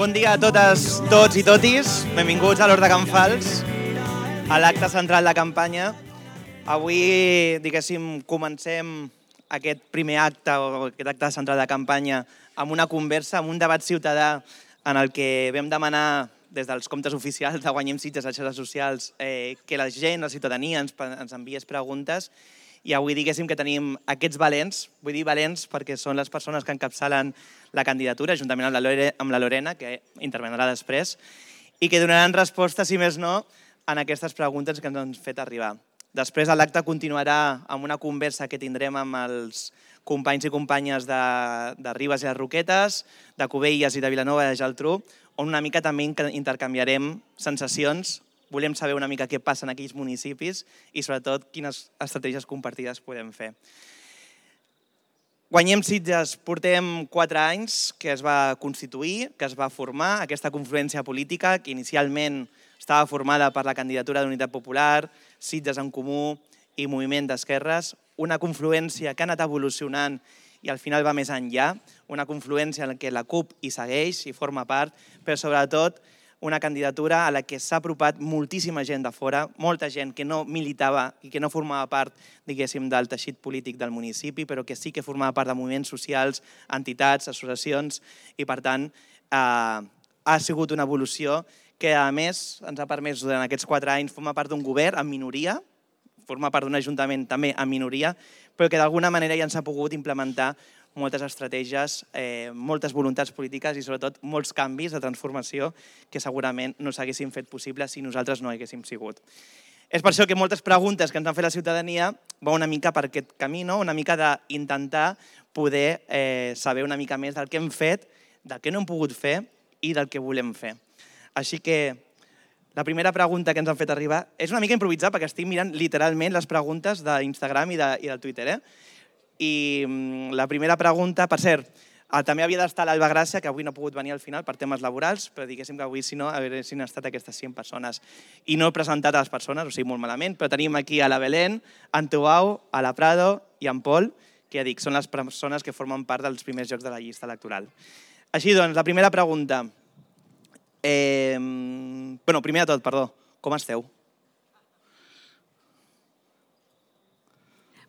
Bon dia a totes, tots i totis. Benvinguts a l'Hort de Can Fals, a l'acte central de campanya. Avui, diguéssim, comencem aquest primer acte, o aquest acte central de campanya, amb una conversa, amb un debat ciutadà en el que vam demanar des dels comptes oficials de Guanyem Sitges a xarxes socials que la gent, la ciutadania, ens enviés preguntes. I avui diguéssim que tenim aquests valents, vull dir valents perquè són les persones que encapçalen la candidatura, juntament amb la Lorena, que intervendrà després, i que donaran resposta, si més no, en aquestes preguntes que ens han fet arribar. Després l'acte continuarà amb una conversa que tindrem amb els companys i companyes de Ribes i les Roquetes, de Cubelles i de Vilanova i de Geltrú, on una mica també intercanviarem sensacions. Volem saber una mica què passa en aquells municipis i, sobretot, quines estratègies compartides podem fer. Guanyem Sitges portem 4 anys que es va constituir, que es va formar, aquesta confluència política que inicialment estava formada per la candidatura d'Unitat Popular, Sitges en Comú i Moviment d'Esquerres, una confluència que ha anat evolucionant i al final va més enllà, una confluència en què la CUP hi segueix i forma part, però sobretot una candidatura a la que s'ha apropat moltíssima gent de fora, molta gent que no militava i que no formava part, diguéssim, del teixit polític del municipi, però que sí que formava part de moviments socials, entitats, associacions, i per tant ha sigut una evolució que a més ens ha permès durant aquests 4 anys formar part d'un govern en minoria, formar part d'un ajuntament també en minoria, però que d'alguna manera ja ens ha pogut implementar moltes estratègies, moltes voluntats polítiques i sobretot molts canvis de transformació que segurament no s'haguessin fet possible si nosaltres no haguéssim sigut. És per això que moltes preguntes que ens han fet la ciutadania van una mica per aquest camí, una mica d'intentar poder saber una mica més del que hem fet, del que no hem pogut fer i del que volem fer. Així que la primera pregunta que ens han fet arribar és una mica improvisada perquè estic mirant literalment les preguntes d'Instagram i del Twitter. I la primera pregunta, per cert, també havia d'estar l'Alba Gràcia, que avui no ha pogut venir al final per temes laborals, però diguéssim que avui, si no, haguessin estat aquestes 100 persones. I no he presentat a les persones, o sigui, molt malament, però tenim aquí a la Belén, en Tuau, a la Prado i en Pol, que ja dic, són les persones que formen part dels primers llocs de la llista electoral. Així doncs, la primera pregunta. Primer de tot, perdó, com esteu?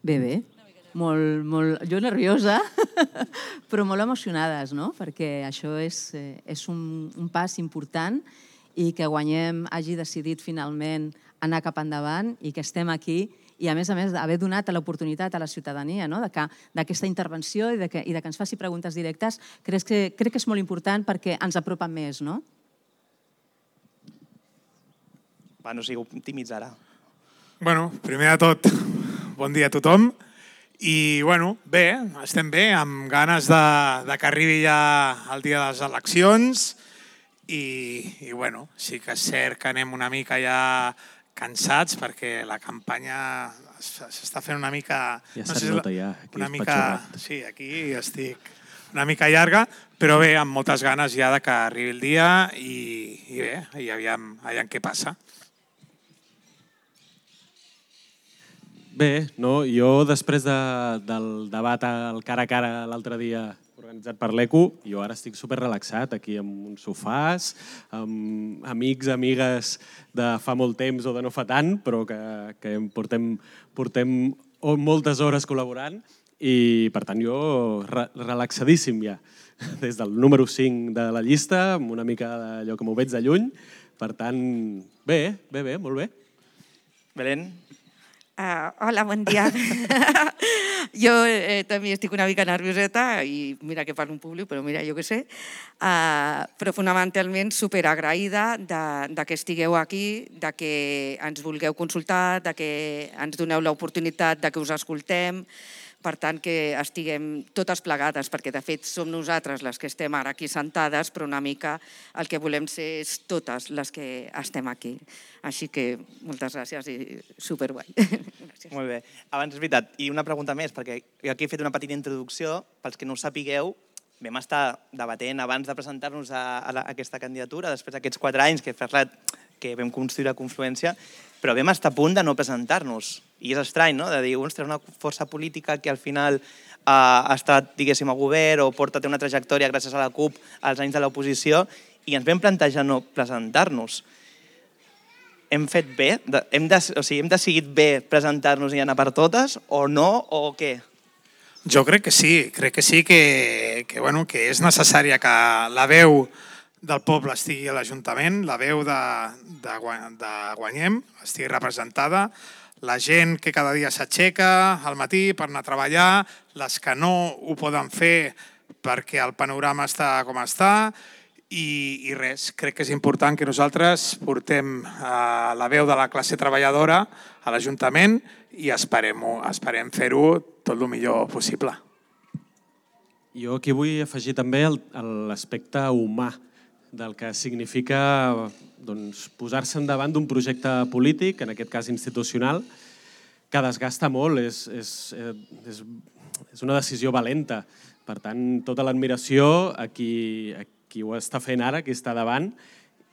Bé. Jo nerviosa, però molt emocionades, no? Perquè això és un pas important i que Guanyem hagi decidit finalment anar cap endavant i que estem aquí i, a més, haver donat l'oportunitat a la ciutadania d'aquesta intervenció i que ens faci preguntes directes, crec que és molt important perquè ens apropa més, no? Va, no sigueu tímids ara. Primer de tot, bon dia a tothom. I, bé, estem bé, amb ganes que arribi ja el dia de les eleccions i sí que és cert que anem una mica ja cansats perquè la campanya s'està fent una mica... Ja se't nota ja, aquí espatxorrat. Sí, aquí estic una mica llarga, però bé, amb moltes ganes ja que arribi el dia i bé, i aviam què passa. Bé, jo després del debat al cara a cara l'altre dia organitzat per l'ECO, jo ara estic superrelaxat aquí amb uns sofàs, amb amics, amigues de fa molt temps o de no fa tant, però que portem moltes hores col·laborant i per tant jo relaxadíssim ja, des del número 5 de la llista, amb una mica d'allò que m'ho veig de lluny, per tant, bé, molt bé. Belén? Hola, bon dia. Jo també estic una mica nervioseta i mira que parlo en públic, però mira, jo què sé. Però fonamentalment superagraïda que estigueu aquí, que ens vulgueu consultar, que ens doneu l'oportunitat que us escoltem. Per tant, que estiguem totes plegades, perquè de fet som nosaltres les que estem ara aquí sentades, però una mica el que volem ser és totes les que estem aquí. Així que moltes gràcies i superguai. Gràcies. Molt bé. Abans, és veritat, i una pregunta més, perquè jo aquí he fet una petita introducció, pels que no ho sapigueu, vam estar debatent abans de presentar-nos a aquesta candidatura, després d'aquests 4 anys que vam construir la confluència, però vam estar a punt de no presentar-nos. I és estrany, no?, de dir, ostres, una força política que al final ha estat, diguéssim, a govern o té una trajectòria gràcies a la CUP als anys de l'oposició i ens vam plantejar no presentar-nos. Hem fet bé? Hem decidit bé presentar-nos i anar per totes o no, o què? Jo crec que sí, que és necessària que la veu del poble estigui a l'Ajuntament, la veu de Guanyem estigui representada, la gent que cada dia s'aixeca al matí per anar a treballar, les que no ho poden fer perquè el panorama està com està, i res, crec que és important que nosaltres portem la veu de la classe treballadora a l'Ajuntament i esperem fer-ho tot el millor possible. Jo aquí vull afegir també l'aspecte humà del que significa posar-se endavant d'un projecte polític, en aquest cas institucional, que desgasta molt, és una decisió valenta. Per tant, tota l'admiració a qui ho està fent ara, qui està davant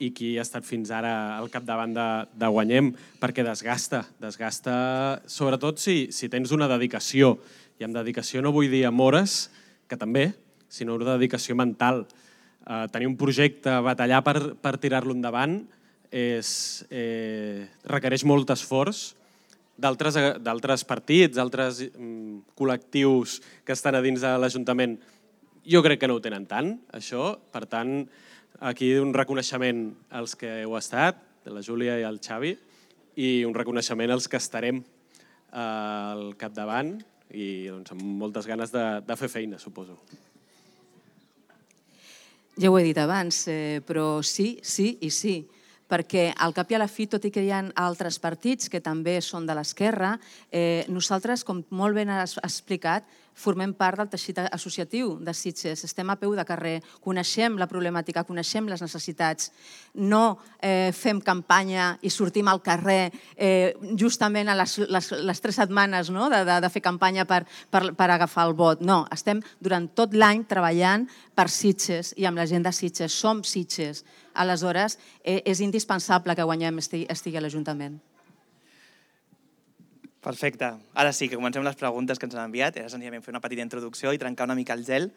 i qui ha estat fins ara al capdavant de Guanyem, perquè desgasta, sobretot si tens una dedicació. I amb dedicació no vull dir amb hores, que també, sinó una dedicació mental. Tenir un projecte, batallar per tirar-lo endavant, requereix molt esforç d'altres partits, d'altres col·lectius que estan a dins de l'Ajuntament. Jo crec que no ho tenen tant, això. Per tant, aquí un reconeixement als que heu estat, la Júlia i el Xavi, i un reconeixement als que estarem al capdavant i amb moltes ganes de fer feina, suposo. Ja ho he dit abans, però sí i sí, perquè al cap i a la fi, tot i que hi ha altres partits que també són de l'esquerra, nosaltres, com molt ben has explicat, formem part del teixit associatiu de Sitges, estem a peu de carrer, coneixem la problemàtica, coneixem les necessitats, no fem campanya i sortim al carrer justament a les 3 setmanes de fer campanya per agafar el vot. No, estem durant tot l'any treballant per Sitges i amb la gent de Sitges, som Sitges. Aleshores, és indispensable que Guanyem estigui a l'Ajuntament. Perfecte. Ara sí que comencem les preguntes que ens han enviat. Era senzillament fer una petita introducció i trencar una mica el gel.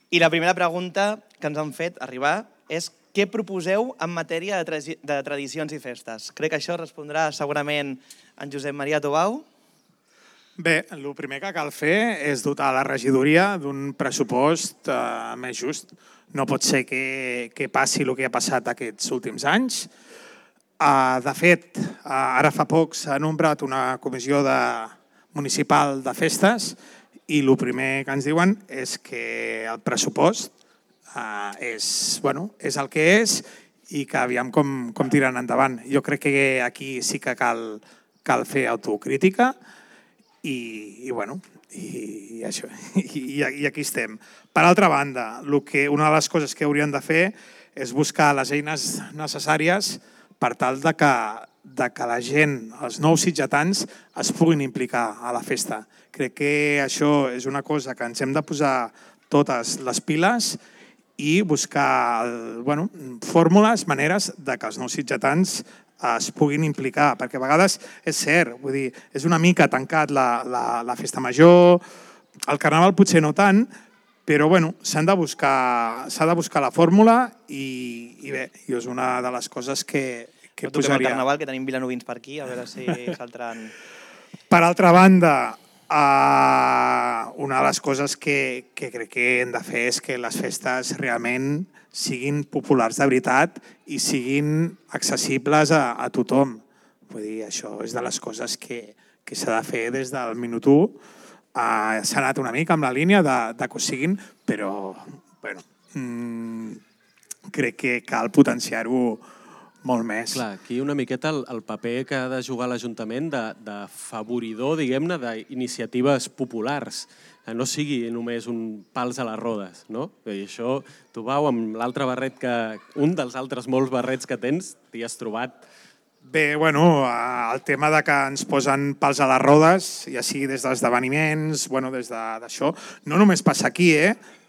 I la primera pregunta que ens han fet arribar és què proposeu en matèria de tradicions i festes? Crec que això respondrà segurament en Josep Maria Tobau. Bé, el primer que cal fer és dotar la regidoria d'un pressupost més just. No pot ser que passi el que ha passat aquests últims anys. De fet, ara fa poc s'ha nombrat una comissió municipal de festes i el primer que ens diuen és que el pressupost és el que és i que aviam com tiren endavant. Jo crec que aquí sí que cal fer autocrítica i això. I aquí estem. Per altra banda, una de les coses que hauríem de fer és buscar les eines necessàries per tal de que la gent, els nous sitgetans, es puguin implicar a la festa. Crec que això és una cosa que ens hem de posar totes les piles i buscar fórmules, maneres de que els nous sitgetans es puguin implicar, perquè a vegades és cert, vull dir, és una mica tancat la festa major, el carnaval potser no tant, però s'ha de buscar la fórmula i bé, és una de les coses que posaria. El carnaval, que tenim vilanovins per aquí, a veure si saltaran. Per altra banda, una de les coses que crec que hem de fer és que les festes realment siguin populars de veritat i siguin accessibles a tothom. Vull dir, això és de les coses que s'ha de fer des del minut 1. S'ha anat una mica amb la línia de que ho siguin, però crec que cal potenciar-ho molt més. Clar, aquí una miqueta el paper que ha de jugar l'Ajuntament de favoridor, diguem-ne, d'iniciatives populars, que no sigui només un pals a les rodes, no? I això, tu, Pau, amb l'altre barret un dels altres molts barrets que tens, t'hi has trobat. Bé, el tema de que ens posen pals a les rodes, ja sigui des dels esdeveniments, des d'això, no només passa aquí,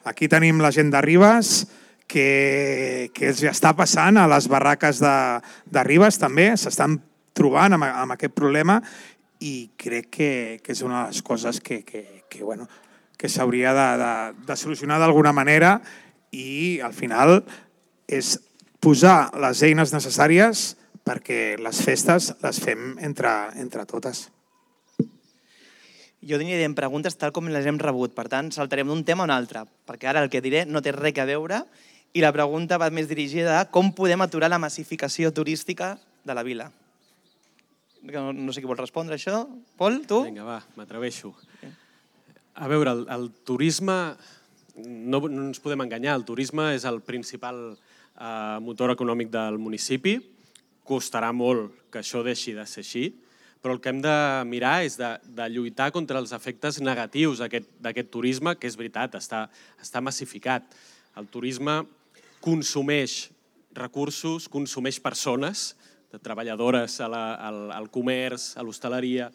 Aquí tenim la gent de Ribes, que els està passant a les barraques de Ribes també, s'estan trobant amb aquest problema i crec que és una de les coses que s'hauria de solucionar d'alguna manera i al final és posar les eines necessàries perquè les festes les fem entre totes. Jo aniré en preguntes tal com les hem rebut, per tant, saltarem d'un tema a un altre, perquè ara el que diré no té res a veure i la pregunta va més dirigida a com podem aturar la massificació turística de la vila. No sé qui vol respondre això. Pol, tu? Vinga, va, m'atreveixo. A veure, el turisme, no ens podem enganyar, el turisme és el principal motor econòmic del municipi. Costarà molt que això deixi de ser així, però el que hem de mirar és de lluitar contra els efectes negatius d'aquest turisme, que és veritat, està massificat. El turisme consumeix recursos, consumeix persones, de treballadores al comerç, a l'hostaleria,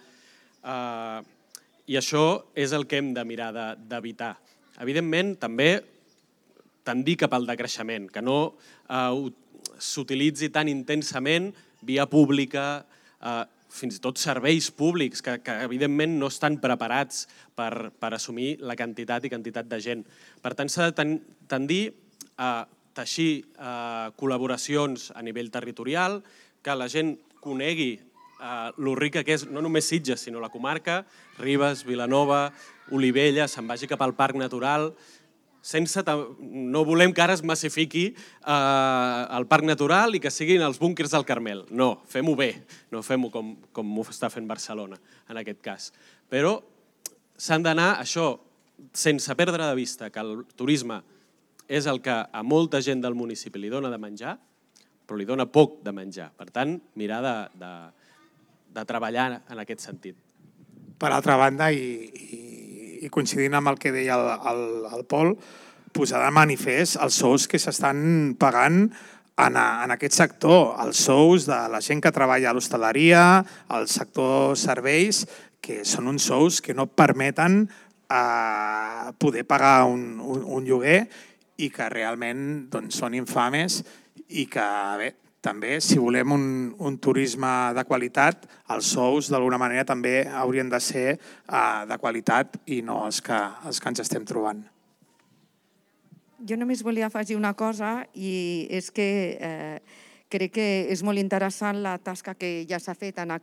i això és el que hem de mirar d'evitar. Evidentment, també tendir cap al decreixement, que no s'utilitzi tan intensament via pública, fins i tot serveis públics, que evidentment no estan preparats per assumir la quantitat i quantitat de gent. Per tant, s'ha de tendir a teixir col·laboracions a nivell territorial, que la gent conegui lo rica que és no només Sitges, sinó la comarca, Ribes, Vilanova, Olivella, se'n vagi cap al Parc Natural. No volem que ara es massifiqui el Parc Natural i que siguin els búnquers del Carmel. No, fem-ho bé, no fem-ho com ho està fent Barcelona, en aquest cas. Però s'han d'anar, això, sense perdre de vista que el turisme és el que a molta gent del municipi li dona de menjar, però li dona poc de menjar. Per tant, mirar de treballar en aquest sentit. Per altra banda, i coincidint amb el que deia el Pol, posar de manifest els sous que s'estan pagant en aquest sector, els sous de la gent que treballa a l'hostaleria, al sector serveis, que són uns sous que no permeten poder pagar un lloguer i que realment són infames i que, bé, també, si volem un turisme de qualitat, els sous d'alguna manera també haurien de ser de qualitat i no els que ens estem trobant. Jo només volia afegir una cosa i és que crec que és molt interessant la tasca que ja s'ha fet en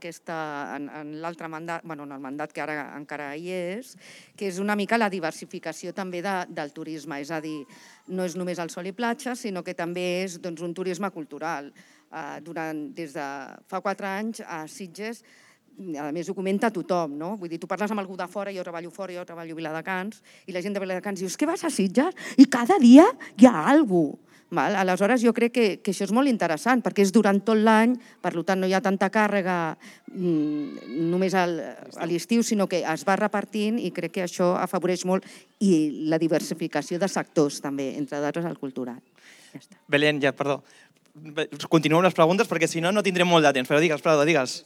l'altre mandat, en el mandat que ara encara hi és, que és una mica la diversificació també del turisme, és a dir, no és només el sol i platja, sinó que també és un turisme cultural. Des de fa 4 anys a Sitges, a més ho comenta tothom, no? Vull dir, tu parles amb algú de fora, jo treballo fora, jo treballo a Viladecans, i la gent de Viladecans diu, és que vas a Sitges i cada dia hi ha alguna cosa. Aleshores, jo crec que això és molt interessant, perquè és durant tot l'any, per tant no hi ha tanta càrrega només a l'estiu, sinó que es va repartint i crec que això afavoreix molt i la diversificació de sectors també, entre d'altres el cultural. Ja està. Belén, perdó. Continuem les preguntes perquè si no, no tindrem molt de temps, però digues, Prado, digues.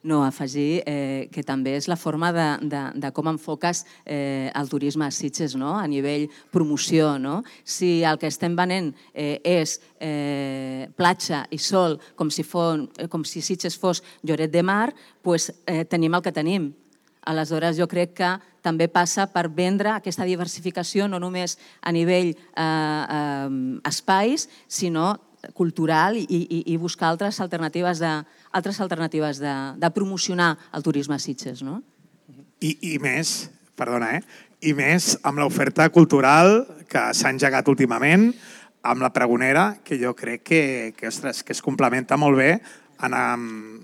No, afegir que també és la forma de com enfoques el turisme a Sitges, a nivell promoció. Si el que estem venent és platja i sol, com si Sitges fos Lloret de Mar, doncs tenim el que tenim. Aleshores, jo crec que també passa per vendre aquesta diversificació no només a nivell espais, sinó cultural i buscar altres alternatives de promocionar el turisme a Sitges. I més, perdona, i més amb l'oferta cultural que s'ha engegat últimament, amb la pregonera, que jo crec que es complementa molt bé amb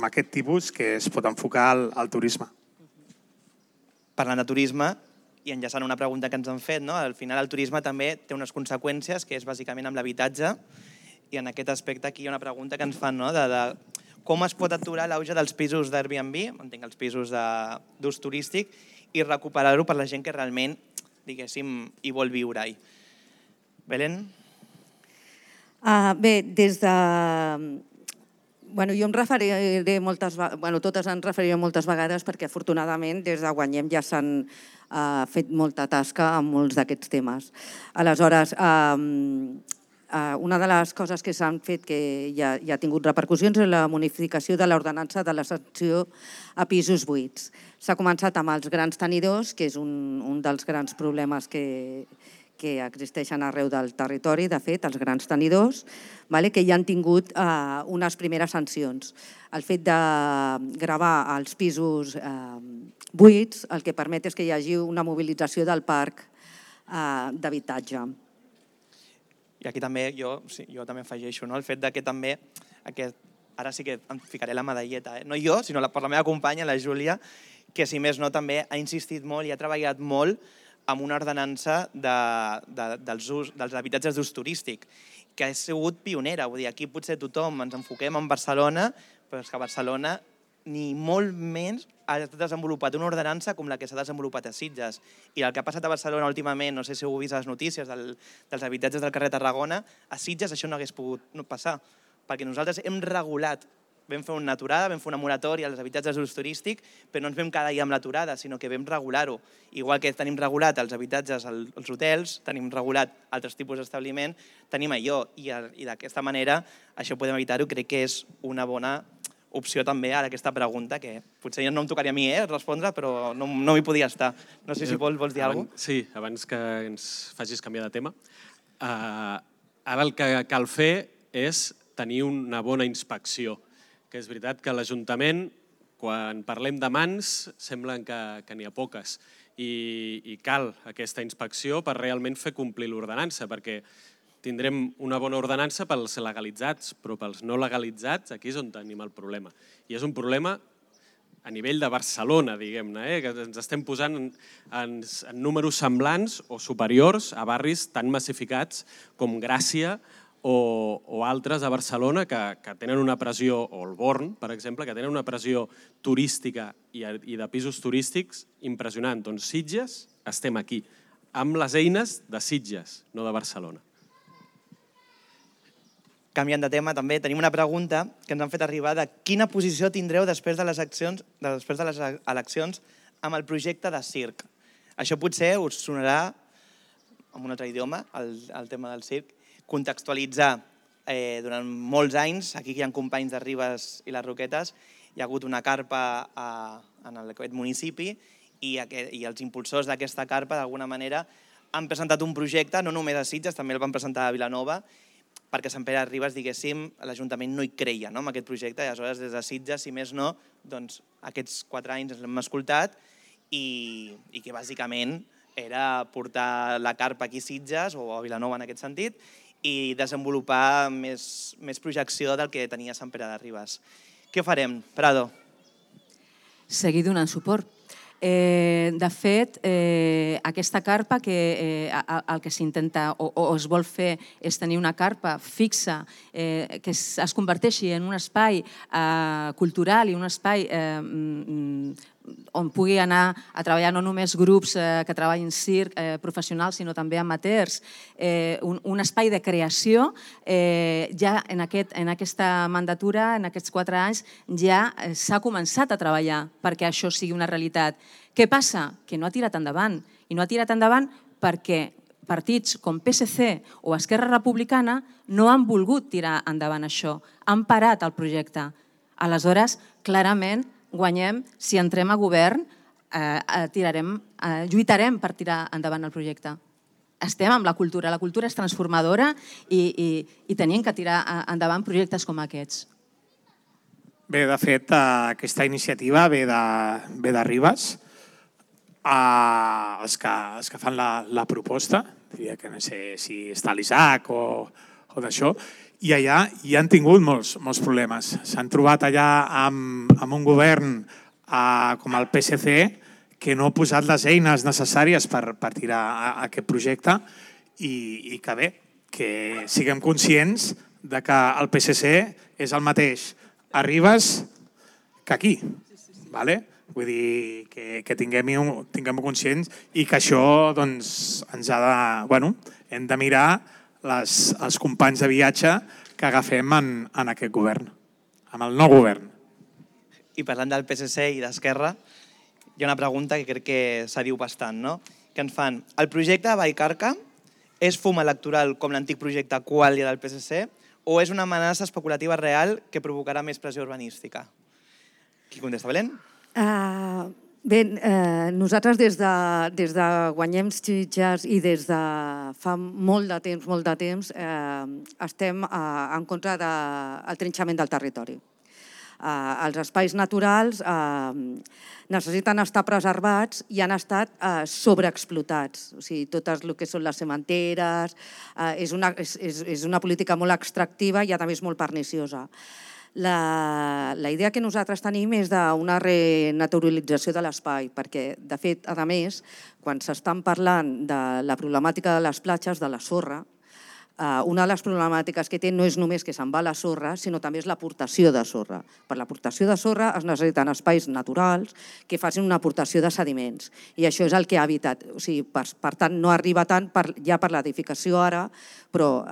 aquest tipus que es pot enfocar al turisme. Parlant de turisme, i enllaçant una pregunta que ens han fet, al final el turisme també té unes conseqüències, que és bàsicament amb l'habitatge, i en aquest aspecte aquí hi ha una pregunta que ens fan de com es pot aturar l'auge dels pisos d'Airbnb, entenc els pisos d'ús turístic, i recuperar-ho per la gent que realment, diguéssim, hi vol viure-hi. Belén? Bé, des de... Jo em referiré moltes vegades, totes ens referirem moltes vegades perquè afortunadament des de Guanyem ja s'han fet molta tasca en molts d'aquests temes. Aleshores, una de les coses que s'han fet que ja ha tingut repercussions és la modificació de l'ordenança de la sanció a pisos buits. S'ha començat amb els grans tenidors, que és un dels grans problemes que existeixen arreu del territori, de fet, els grans tenidors, que ja han tingut unes primeres sancions. El fet de gravar els pisos buits el que permet és que hi hagi una mobilització del parc d'habitatge. I aquí també jo també afegeixo el fet que també, ara sí que em ficaré la medalleta, no jo, sinó per la meva companya, la Júlia, que si més no també ha insistit molt i ha treballat molt amb una ordenança dels habitatges d'ús turístic, que ha sigut pionera. Vull dir, aquí potser tothom ens enfoquem en Barcelona, però és que Barcelona ni molt menys ha desenvolupat una ordenança com la que s'ha desenvolupat a Sitges. I el que ha passat a Barcelona últimament, no sé si heu vist les notícies dels habitatges del carrer Tarragona, a Sitges això no hagués pogut passar, perquè nosaltres hem regulat, vam fer una aturada, vam fer una moratòria als habitatges d'ús turístic, però no ens vam quedar allà amb l'aturada, sinó que vam regular-ho. Igual que tenim regulat els habitatges als hotels, tenim regulat altres tipus d'establiment, tenim allò. I d'aquesta manera això podem evitar-ho. Crec que és una bona opció també ara aquesta pregunta, que potser no em tocaria a mi respondre, però no m'hi podia estar. No sé si vols dir alguna cosa. Sí, abans que ens facis canviar de tema. Ara el que cal fer és tenir una bona inspecció, que és veritat que l'Ajuntament, quan parlem de mans, semblen que n'hi ha poques, i cal aquesta inspecció per realment fer complir l'ordenança, perquè tindrem una bona ordenança pels legalitzats, però pels no legalitzats aquí és on tenim el problema. I és un problema a nivell de Barcelona, diguem-ne, que ens estem posant en números semblants o superiors a barris tan massificats com Gràcia o altres a Barcelona que tenen una pressió, o el Born, per exemple, que tenen una pressió turística i de pisos turístics impressionant. Doncs Sitges estem aquí, amb les eines de Sitges, no de Barcelona. Canviant de tema, també tenim una pregunta que ens han fet arribar de quina posició tindreu després de les eleccions amb el projecte de circ. Això potser us sonarà en un altre idioma, el tema del circ, contextualitzar. Durant molts anys, aquí hi ha companys de Ribes i les Roquetes, hi ha hagut una carpa en aquest municipi i els impulsors d'aquesta carpa, d'alguna manera, han presentat un projecte, no només a Sitges, també el van presentar a Vilanova, perquè Sant Pere de Ribes, diguéssim, l'Ajuntament no hi creia en aquest projecte, i aleshores des de Sitges, si més no, aquests 4 anys ens l'hem escoltat i que bàsicament era portar la carpa aquí a Sitges o a Vilanova en aquest sentit i desenvolupar més projecció del que tenia Sant Pere de Ribes. Què farem, Prado? Seguir donant suport. De fet, aquesta carpa, el que s'intenta o es vol fer és tenir una carpa fixa que es converteixi en un espai cultural i un espai on pugui anar a treballar no només grups que treballin circ professionals, sinó també amateurs, un espai de creació. Ja en aquesta mandatura, en aquests 4 anys, ja s'ha començat a treballar perquè això sigui una realitat. Què passa? Que no ha tirat endavant. I no ha tirat endavant perquè partits com PSC o Esquerra Republicana no han volgut tirar endavant això. Han parat el projecte. Aleshores, clarament, guanyem, si entrem a govern, lluitarem per tirar endavant el projecte. Estem amb la cultura és transformadora i tenim que tirar endavant projectes com aquests. Bé, de fet, aquesta iniciativa ve de Ribes. Els que fan la proposta, diria que no sé si està l'Isaac o d'això, i allà hi han tingut molts problemes. S'han trobat allà amb un govern com el PSC que no ha posat les eines necessàries per tirar aquest projecte i que bé, que siguem conscients que el PSC és el mateix a Ribes que aquí. Vull dir que tinguem conscients i que això ens ha de... Hem de mirar els companys de viatge que agafem en aquest govern, amb el nou govern. I parlant del PSC i d'Esquerra, hi ha una pregunta que crec que s'ha dit bastant, no? Que ens fan, el projecte de Vallcarca és fum electoral com l'antic projecte Qualia del PSC o és una amenaça especulativa real que provocarà més pressió urbanística? Qui contesta, Belén? Bé, nosaltres des de Guanyem Sitges i des de fa molt de temps, estem en contra del trinxament del territori. Els espais naturals necessiten estar preservats i han estat sobreexplotats. O sigui, totes el que són les cementeres, és una política molt extractiva i a més molt perniciosa. La idea que nosaltres tenim és d'una renaturalització de l'espai, perquè, de fet, a més, quan s'estan parlant de la problemàtica de les platges, de la sorra, una de les problemàtiques que té no és només que se'n va la sorra, sinó també és l'aportació de sorra. Per l'aportació de sorra es necessiten espais naturals que facin una aportació de sediments, i això és el que ha evitat. O sigui, per tant, no arriba tant ja per l'edificació ara, però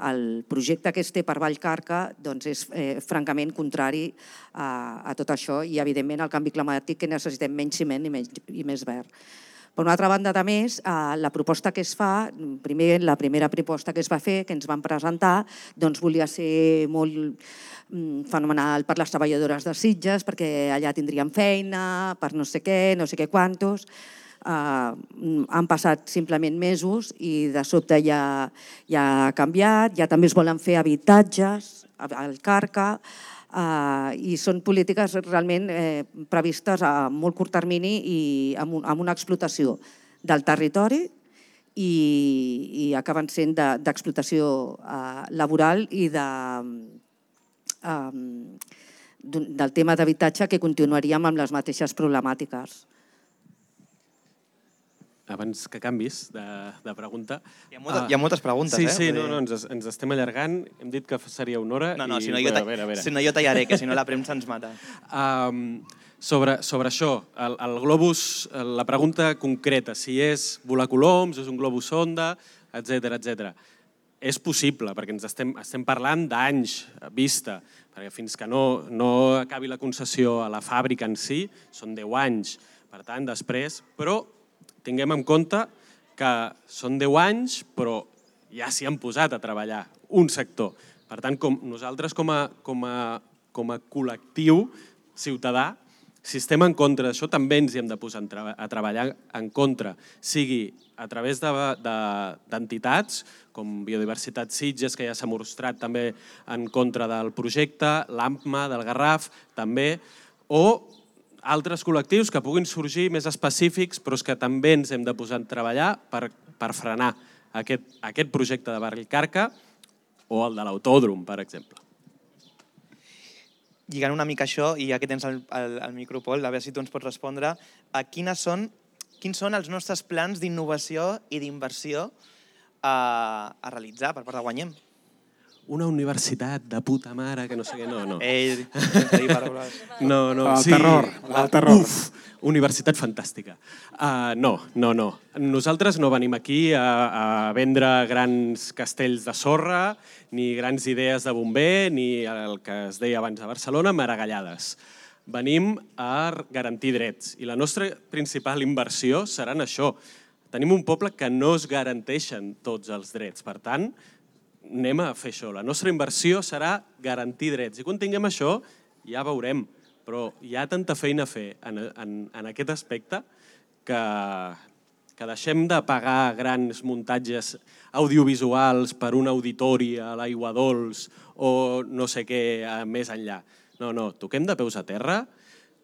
el projecte que es té per Vallcarca és francament contrari a tot això i, evidentment, al canvi climàtic, que necessitem menys ciment i més verd. Per una altra banda, a més, la proposta que es fa, la primera proposta que es va fer, que ens van presentar, volia ser molt fenomenal per les treballadores de Sitges, perquè allà tindrien feina, per no sé què quantos. Han passat simplement mesos i de sobte ja ha canviat, ja també es volen fer habitatges al Carca, i són polítiques realment previstes a molt curt termini i amb una explotació del territori i acaben sent d'explotació laboral i del tema d'habitatge, que continuaríem amb les mateixes problemàtiques. Abans que canvis de pregunta... Hi ha moltes preguntes, eh? Sí, ens estem allargant. Hem dit que seria una hora. No, si no jo tallaré, que si no la premsa ens mata. Sobre això, el globus, la pregunta concreta, si és volar coloms, és un globus sonda, etc. És possible, perquè ens estem parlant d'anys vista, perquè fins que no acabi la concessió a la fàbrica en si, són 10 anys. Per tant, després... Però tinguem en compte que són 10 anys, però ja s'hi han posat a treballar un sector. Per tant, nosaltres com a col·lectiu ciutadà, si estem en contra d'això, també ens hi hem de posar a treballar en contra, sigui a través d'entitats com Biodiversitat Sitges, que ja s'ha mostrat també en contra del projecte, l'AMPMA, del Garraf, també, o altres col·lectius que puguin sorgir més específics, però és que també ens hem de posar a treballar per frenar aquest projecte de Vallcarca o el de l'autòdrom, per exemple. Lligant una mica això, i ja que tens el micro, Pol, a veure si tu ens pots respondre, quins són els nostres plans d'innovació i d'inversió a realitzar per part de Guanyem? Una universitat de puta mare, que no sé què, no. Ei, sense dir paraules. No. El terror. Uf, universitat fantàstica. No. Nosaltres no venim aquí a vendre grans castells de sorra, ni grans idees de bomber, ni el que es deia abans a Barcelona, maragallades. Venim a garantir drets. I la nostra principal inversió serà en això. Tenim un poble que no es garanteixen tots els drets. Per tant, anem a fer això. La nostra inversió serà garantir drets. I quan tinguem això, ja veurem. Però hi ha tanta feina a fer en aquest aspecte que deixem de pagar grans muntatges audiovisuals per un auditori a l'Aigua Dols o no sé què més enllà. No, toquem de peus a terra,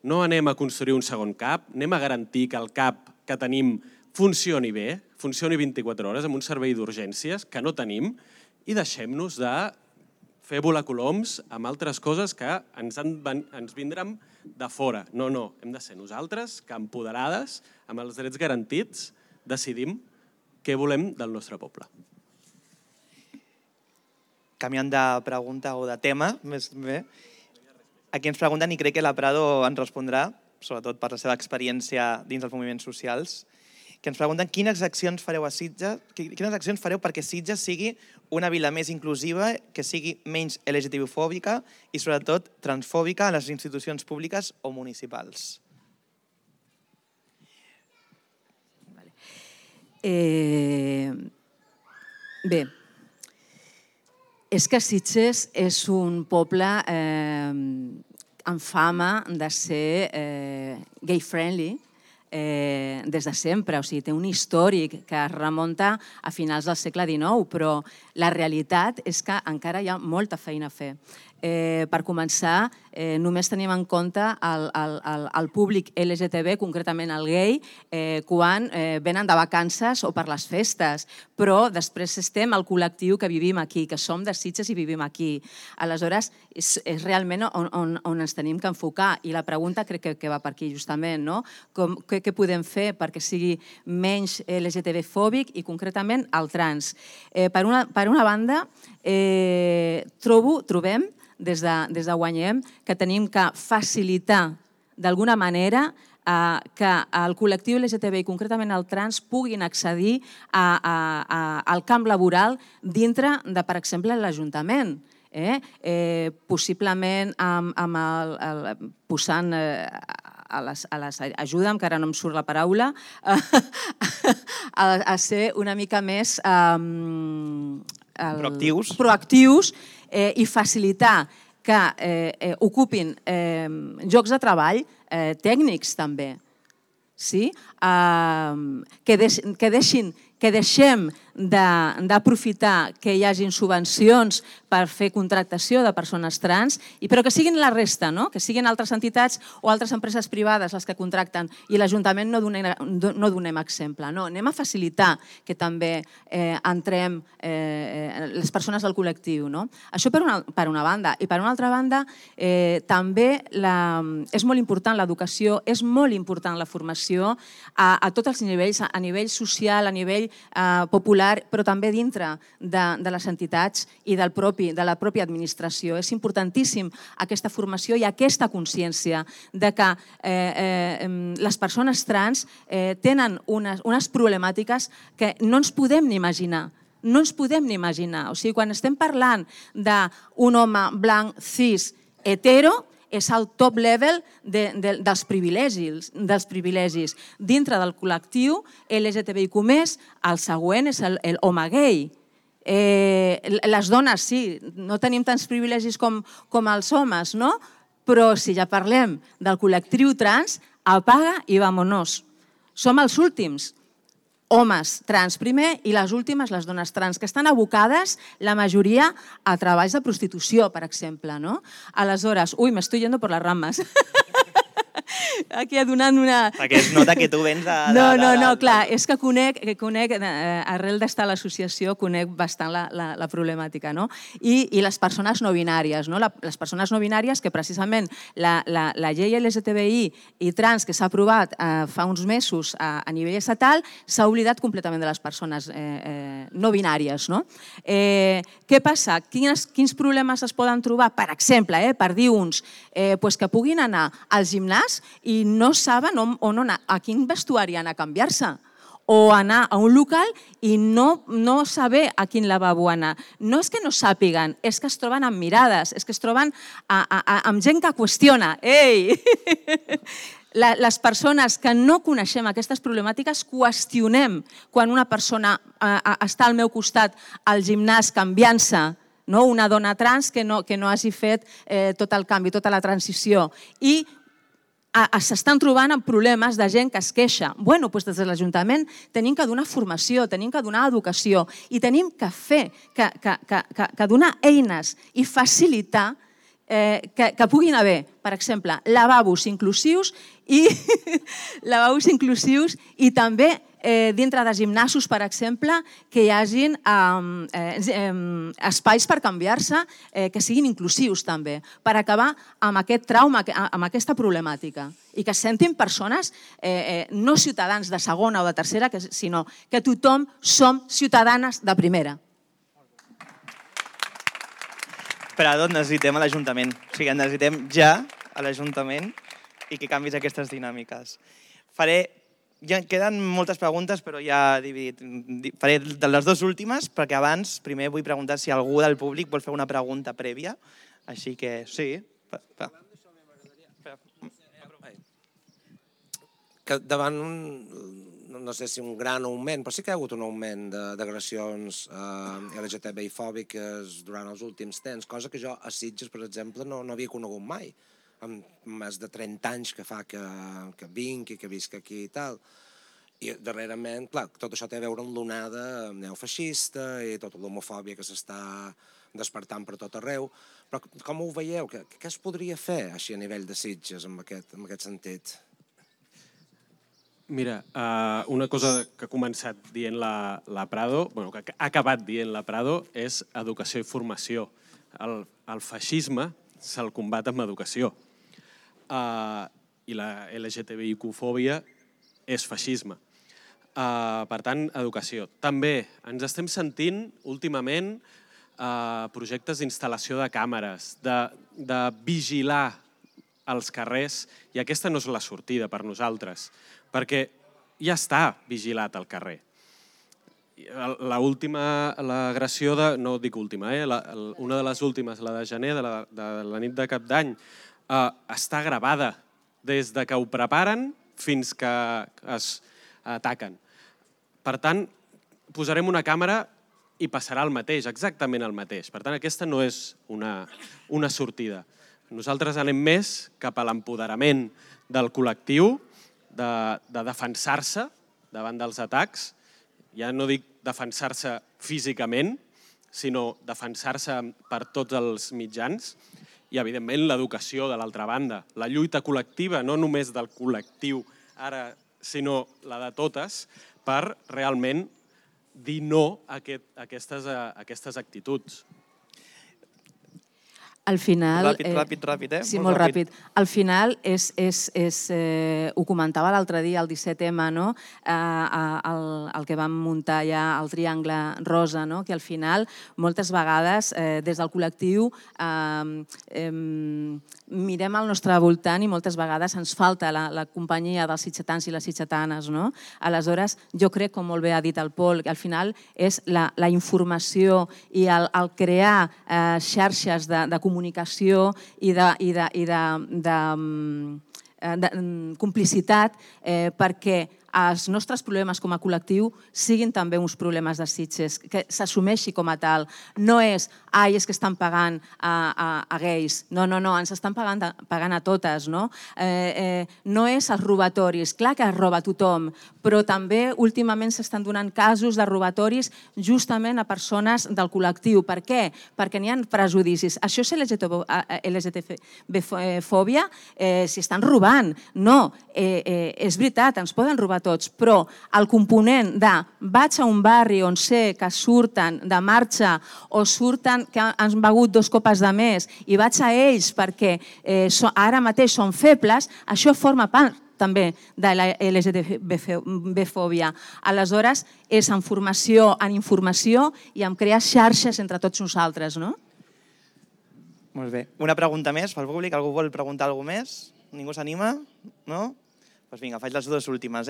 no anem a construir un segon CAP, anem a garantir que el CAP que tenim funcioni bé, funcioni 24 hores amb un servei d'urgències que no tenim, i deixem-nos de fer volar coloms amb altres coses que ens vindran de fora. No, hem de ser nosaltres que, empoderades, amb els drets garantits, decidim què volem del nostre poble. Canviant de pregunta o de tema, més bé, aquí ens pregunten, i crec que la Prado ens respondrà, sobretot per la seva experiència dins dels moviments socials, que ens pregunten quines accions fareu a Sitges, quines accions fareu perquè Sitges sigui una vila més inclusiva, que sigui menys LGTB-fòbica i, sobretot, transfòbica a les institucions públiques o municipals. Bé, és que Sitges és un poble amb fama de ser gay-friendly des de sempre. O sigui, té un històric que es remunta a finals del segle XIX, però la realitat és que encara hi ha molta feina a fer. Per començar, només tenim en compte el públic LGTB, concretament el gay, quan venen de vacances o per les festes, però després estem el col·lectiu que vivim aquí, que som de Sitges i vivim aquí. Aleshores, és realment on ens tenim que enfocar, i la pregunta crec que va per aquí justament, no? Què podem fer perquè sigui menys LGTB-fòbic i concretament el trans? Per una banda, trobem des de Guanyem que tenim que facilitar d'alguna manera que el col·lectiu LGTB i concretament el trans puguin accedir al camp laboral dintre de, per exemple, l'Ajuntament. Possiblement posant ajuda'm, que ara no em surt la paraula, a ser una mica més proactius i facilitar que ocupin llocs de treball tècnics també. Que deixem d'aprofitar que hi hagin subvencions per fer contractació de persones trans, però que siguin la resta, que siguin altres entitats o altres empreses privades les que contracten i l'Ajuntament no donem exemple. Anem a facilitar que també entrem les persones del col·lectiu. Això per una banda. I per una altra banda, també és molt important l'educació, és molt important la formació a tots els nivells, a nivell social, a nivell popular, però també dintre de les entitats i de la pròpia administració. És importantíssim aquesta formació i aquesta consciència de que les persones trans tenen unes problemàtiques que no ens podem ni imaginar. No ens podem ni imaginar. O sigui, quan estem parlant d'un home blanc, cis, hetero, és el top level dels privilegis. Dintre del col·lectiu LGTBIQ+, el següent és l'home gay. Les dones, sí, no tenim tants privilegis com els homes, no? Però si ja parlem del col·lectiu trans, apaga i vámonos. Som els últims. Homes trans primer i les últimes, les dones trans, que estan abocades, la majoria, a treballs de prostitució, per exemple. Aleshores, m'estoy yendo por las ramas. Aquí donant una... Perquè es nota que tu vens de... No, clar, és que conec, arrel d'estar a l'associació, conec bastant la problemàtica. I les persones no binàries. Les persones no binàries que precisament la llei LGTBI i trans que s'ha aprovat fa uns mesos a nivell estatal s'ha oblidat completament de les persones no binàries. Què passa? Quins problemes es poden trobar? Per exemple, per dir uns, que puguin anar al gimnàs i no saben on anar, a quin vestuari anar a canviar-se, o anar a un local i no saber a quin lavabo anar. No és que no sàpiguen, és que es troben amb mirades, és que es troben amb gent que qüestiona. Ei! Les persones que no coneixem aquestes problemàtiques qüestionem quan una persona està al meu costat al gimnàs canviant-se, una dona trans que no hagi fet tot el canvi, tota la transició. I s'estan trobant amb problemes de gent que es queixa. Doncs des de l'Ajuntament tenim que donar formació, tenim que donar educació i tenim que fer, que donar eines i facilitar que puguin haver, per exemple, lavabos inclusius i també dintre de gimnasos, per exemple, que hi hagin espais per canviar-se que siguin inclusius també, per acabar amb aquest trauma, amb aquesta problemàtica i que es sentin persones, no ciutadans de segona o de tercera, sinó que tothom som ciutadanes de primera. Però doncs necessitem a l'Ajuntament. O sigui, necessitem ja a l'Ajuntament i que canvis aquestes dinàmiques. Ja queden moltes preguntes, però ja he dividit. Faré de les dues últimes, perquè abans primer vull preguntar si algú del públic vol fer una pregunta prèvia. Així que sí. Que davant no sé si un gran augment, però sí que hi ha hagut un augment d'agressions LGTBI-fòbiques durant els últims temps, cosa que jo a Sitges, per exemple, no havia conegut mai. Amb més de 30 anys que fa que vinc i que visc aquí i tal. I darrerament, clar, tot això té a veure amb l'onada neofeixista i tota l'homofòbia que s'està despertant per tot arreu. Però com ho veieu? Què es podria fer així a nivell de Sitges en aquest sentit? Mira, una cosa que ha començat dient la Prado, que ha acabat dient la Prado, és educació i formació. El feixisme se'l combat amb educació. I la LGTBIQ-fòbia és feixisme. Per tant, educació. També ens estem sentint últimament projectes d'instal·lació de càmeres, de vigilar els carrers, i aquesta no és la sortida per nosaltres, perquè ja està vigilat al carrer. L'agressió, no dic última, una de les últimes, la de gener, de la nit de Cap d'Any, està gravada des de que ho preparen fins que es ataquen. Per tant, posarem una càmera i passarà el mateix, exactament el mateix. Per tant, aquesta no és una sortida. Nosaltres anem més cap a l'empoderament del col·lectiu, de defensar-se davant dels atacs. Ja no dic defensar-se físicament, sinó defensar-se per tots els mitjans. I, evidentment, l'educació de l'altra banda. La lluita col·lectiva, no només del col·lectiu ara, sinó la de totes, per realment dir no a aquestes actituds. Al final... Ràpid, eh? Sí, molt ràpid. Al final, ho comentava l'altre dia, el 17M, no? El que vam muntar ja el Triangle Rosa, no? Que al final, moltes vegades, des del col·lectiu, mirem al nostre voltant i moltes vegades ens falta la companyia dels sitgetans i les sitgetanes, no? Aleshores, jo crec, com molt bé ha dit el Pol, que al final és la informació i el crear xarxes de comunicació i de complicitat perquè els nostres problemes com a col·lectiu siguin també uns problemes de Sitges, que s'assumeixi com a tal. No és que estan pagant a gais. No, ens estan pagant a totes. No és els robatoris. Clar que es roba tothom, però també últimament s'estan donant casos de robatoris justament a persones del col·lectiu. Per què? Perquè n'hi ha prejudicis. Això és LGTB-fòbia? Si estan robant. No, és veritat, ens poden robar tots, però el component de vaig a un barri on sé que surten de marxa o surten que han begut 2 copes de més i vaig a ells perquè ara mateix són febles, això forma part també de la LGTB-fòbia. Aleshores, és en formació, en informació i en crear xarxes entre tots nosaltres, no? Molt bé. Una pregunta més pel públic? Algú vol preguntar alguna més? Ningú s'anima? No? Doncs vinga, faig les 2 últimes.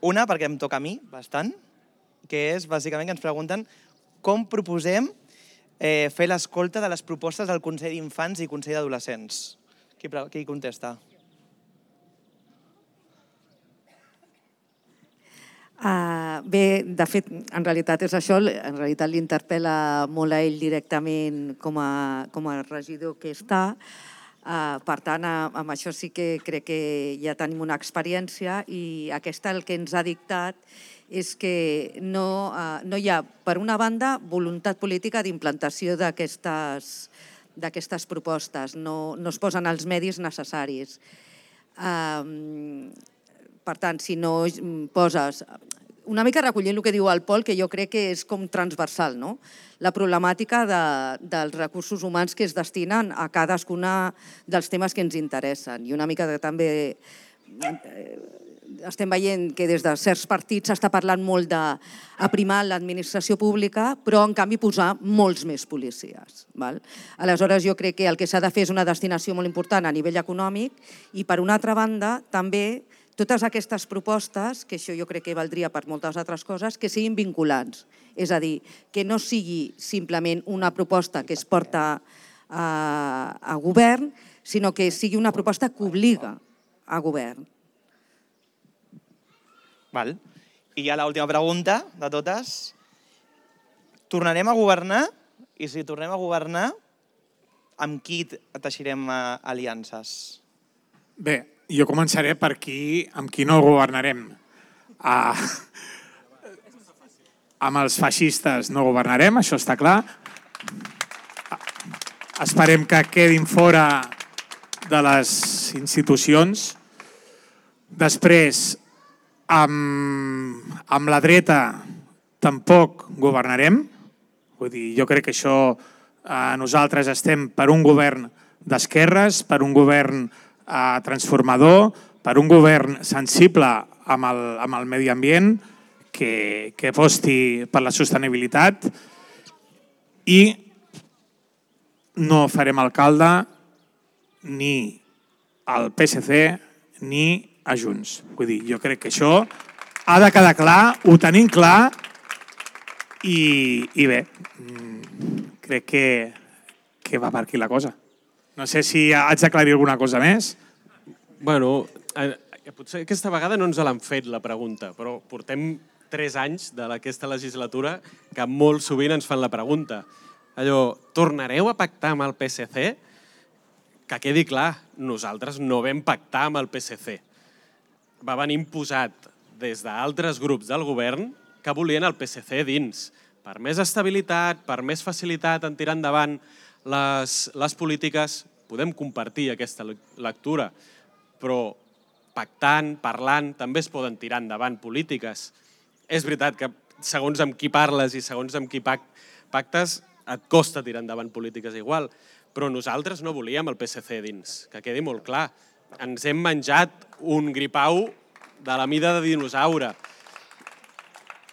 Una, perquè em toca a mi, bastant, que és bàsicament que ens pregunten com proposem fer l'escolta de les propostes del Consell d'Infants i Consell d'Adolescents. Qui contesta? Bé, de fet, en realitat és això, en realitat l'interpel·la molt a ell directament com a regidor que està. Per tant, amb això sí que crec que ja tenim una experiència i aquesta el que ens ha dictat és que no hi ha, per una banda, voluntat política d'implantació d'aquestes propostes, no es posen els medis necessaris. Per tant, si no poses... Una mica recollint el que diu el Pol, que jo crec que és com transversal, no? La problemàtica dels recursos humans que es destinen a cadascuna dels temes que ens interessen. I una mica també estem veient que des de certs partits s'està parlant molt d'aprimar l'administració pública, però en canvi posar molts més policies. Aleshores, jo crec que el que s'ha de fer és una destinació molt important a nivell econòmic i, per una altra banda, també totes aquestes propostes, que això jo crec que valdria per moltes altres coses, que siguin vinculants. És a dir, que no sigui simplement una proposta que es porta a govern, sinó que sigui una proposta que obliga a govern. Val. I ja l'última pregunta de totes. Tornarem a governar? I si tornem a governar, amb qui teixirem aliances? Bé, jo començaré per amb qui no governarem. Amb els feixistes no governarem, això està clar. Esperem que quedin fora de les institucions. Després, amb la dreta tampoc governarem. Vull dir, jo crec que això nosaltres estem per un govern d'esquerres, per un govern transformador, per un govern sensible amb el medi ambient, que aposti per la sostenibilitat, i no farem alcalde ni al PSC ni a Junts. Vull dir, jo crec que això ha de quedar clar, ho tenim clar, i bé, crec que va per aquí la cosa. No sé si haig d'aclarir alguna cosa més. Bueno, potser aquesta vegada no ens l'han fet la pregunta, però portem 3 anys d'aquesta legislatura que molt sovint ens fan la pregunta. Allò, tornareu a pactar amb el PSC? Que quedi clar, nosaltres no vam pactar amb el PSC. Va venir imposat des d'altres grups del govern que volien el PSC dins, per més estabilitat, per més facilitat en tirar endavant les polítiques. Podem compartir aquesta lectura, però pactant, parlant, també es poden tirar endavant polítiques. És veritat que segons amb qui parles i segons amb qui pactes et costa tirar endavant polítiques igual, però nosaltres no volíem el PSC dins, que quedi molt clar. Ens hem menjat un gripau de la mida de dinosaure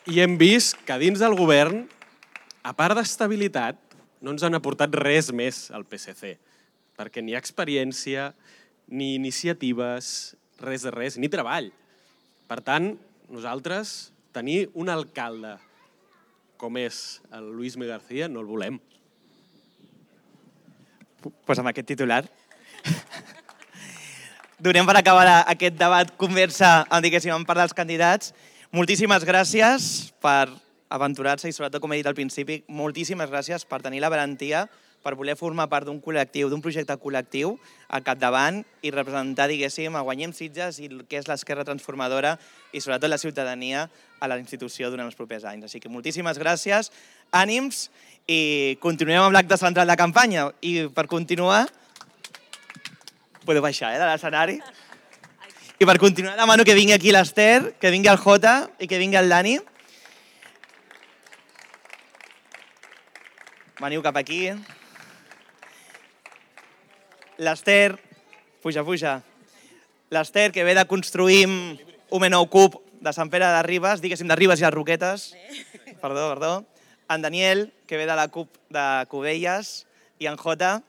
i hem vist que dins del govern, a part d'estabilitat, no ens han aportat res més al PSC, perquè ni experiència, ni iniciatives, res de res, ni treball. Per tant, nosaltres tenir un alcalde com és el Luis M. García no el volem. Doncs amb aquest titular donem per acabar aquest debat, conversa, diguéssim, en part dels candidats. Moltíssimes gràcies per aventurar-se i, sobretot, com he dit al principi, moltíssimes gràcies per tenir la valentia, per voler formar part d'un col·lectiu, d'un projecte col·lectiu al capdavant i representar, diguéssim, a Guanyem Sitges i el que és l'esquerra transformadora i, sobretot, la ciutadania a la institució durant els propers anys. Així que moltíssimes gràcies, ànims, i continuem amb l'acte central de campanya. I per continuar, podeu baixar de l'escenari, i per continuar demano que vingui aquí l'Ester, que vingui el Jota i que vingui el Dani. Veniu cap aquí. L'Ester, puja. L'Ester, que ve de construir un nou CUP de Sant Pere de Ribes, diguéssim, de Ribes i les Roquetes. Perdó. En Daniel, que ve de la CUP de Cubelles, i en Jota,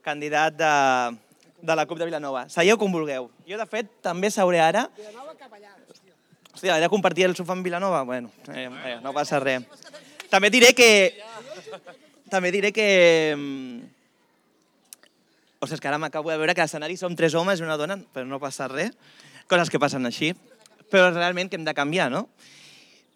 candidat de la CUP de Vilanova. Seieu com vulgueu. Jo, de fet, també seuré ara. Vilanova cap allà, hòstia. Hòstia, he de compartir el sofà amb Vilanova? Bueno, no passa res. També diré que... O sigui, és que ara m'acabo de veure que a l'escenari som 3 homes i una dona, però no passa res. Coses que passen així. Però realment que hem de canviar, no?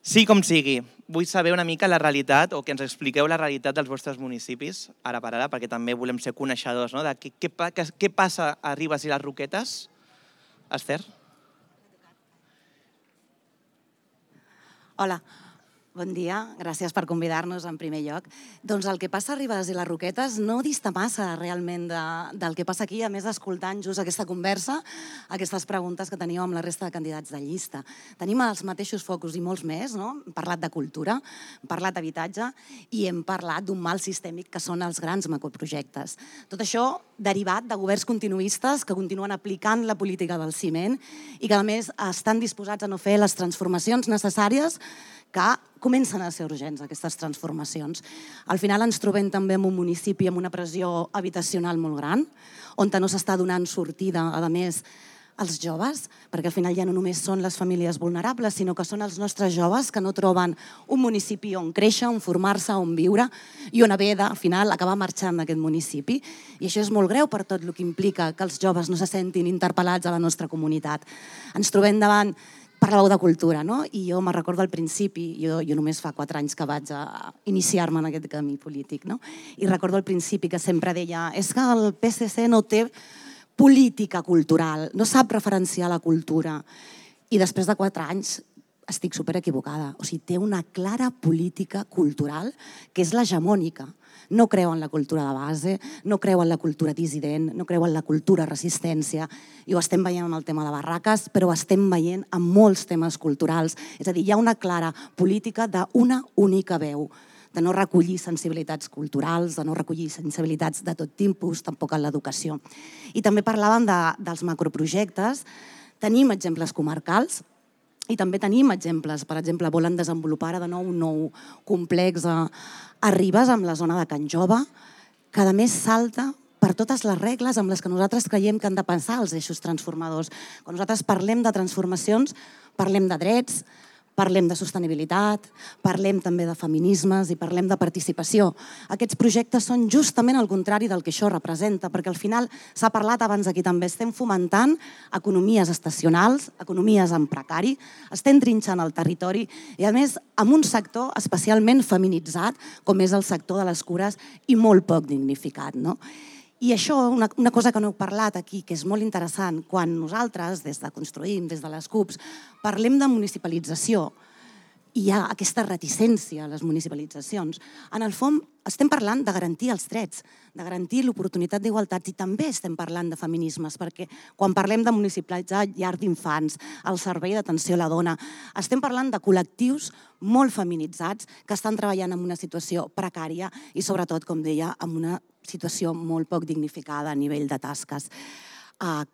Sí com sigui, vull saber una mica la realitat, o que ens expliqueu la realitat dels vostres municipis, ara per ara, perquè també volem ser coneixedors, no? De què passa a Ribes i les Roquetes. Esther? Hola. Bon dia, gràcies per convidar-nos en primer lloc. Doncs el que passa a Ribes i les Roquetes no dista massa realment del que passa aquí, a més escoltant just aquesta conversa, aquestes preguntes que teníeu amb la resta de candidats de llista. Tenim els mateixos focus i molts més, no? Hem parlat de cultura, hem parlat d'habitatge i hem parlat d'un mal sistèmic que són els grans macroprojectes. Tot això derivat de governs continuistes que continuen aplicant la política del ciment i que a més estan disposats a no fer les transformacions necessàries que comencen a ser urgents, aquestes transformacions. Al final ens trobem també en un municipi amb una pressió habitacional molt gran, on no s'està donant sortida, a més, als joves, perquè al final ja no només són les famílies vulnerables, sinó que són els nostres joves que no troben un municipi on créixer, on formar-se, on viure, i on haver de, al final, acabar marxant d'aquest municipi. I això és molt greu per tot el que implica que els joves no se sentin interpel·lats a la nostra comunitat. Ens trobem davant Parlàveu de cultura, no? I jo me recordo al principi, jo només fa 4 anys que vaig a iniciar-me en aquest camí polític, no? I recordo al principi que sempre deia és que el PSC no té política cultural, no sap referenciar la cultura. I després de 4 anys estic super equivocada. O sigui, té una clara política cultural que és l'hegemònica. No creu en la cultura de base, no creu en la cultura dissident, no creu en la cultura resistència. I ho estem veient amb el tema de barraques, però ho estem veient amb molts temes culturals. És a dir, hi ha una clara política d'una única veu, de no recollir sensibilitats culturals, de no recollir sensibilitats de tot tipus, tampoc en l'educació. I també parlàvem dels macroprojectes. Tenim exemples comarcals, i també tenim exemples, per exemple, volen desenvolupar de nou un nou complex a Ribes, amb la zona de Can Jove, que a més salta per totes les regles amb les que nosaltres creiem que han de pensar els eixos transformadors. Quan nosaltres parlem de transformacions, parlem de drets, parlem de sostenibilitat, parlem també de feminismes i parlem de participació. Aquests projectes són justament el contrari del que això representa, perquè al final s'ha parlat abans aquí també, estem fomentant economies estacionals, economies en precari, estem trinxant el territori i a més amb un sector especialment feminitzat com és el sector de les cures i molt poc dignificat, no? I això, una cosa que no heu parlat aquí, que és molt interessant, quan nosaltres, des de Construïm, des de les CUPs, parlem de municipalització, i hi ha aquesta reticència a les municipalitzacions. En el fons, estem parlant de garantir els drets, de garantir l'oportunitat d'igualtat i també estem parlant de feminismes, perquè quan parlem de municipalitzar llar d'infants, el servei d'atenció a la dona, estem parlant de col·lectius molt feminitzats que estan treballant en una situació precària i sobretot, com deia, en una situació molt poc dignificada a nivell de tasques.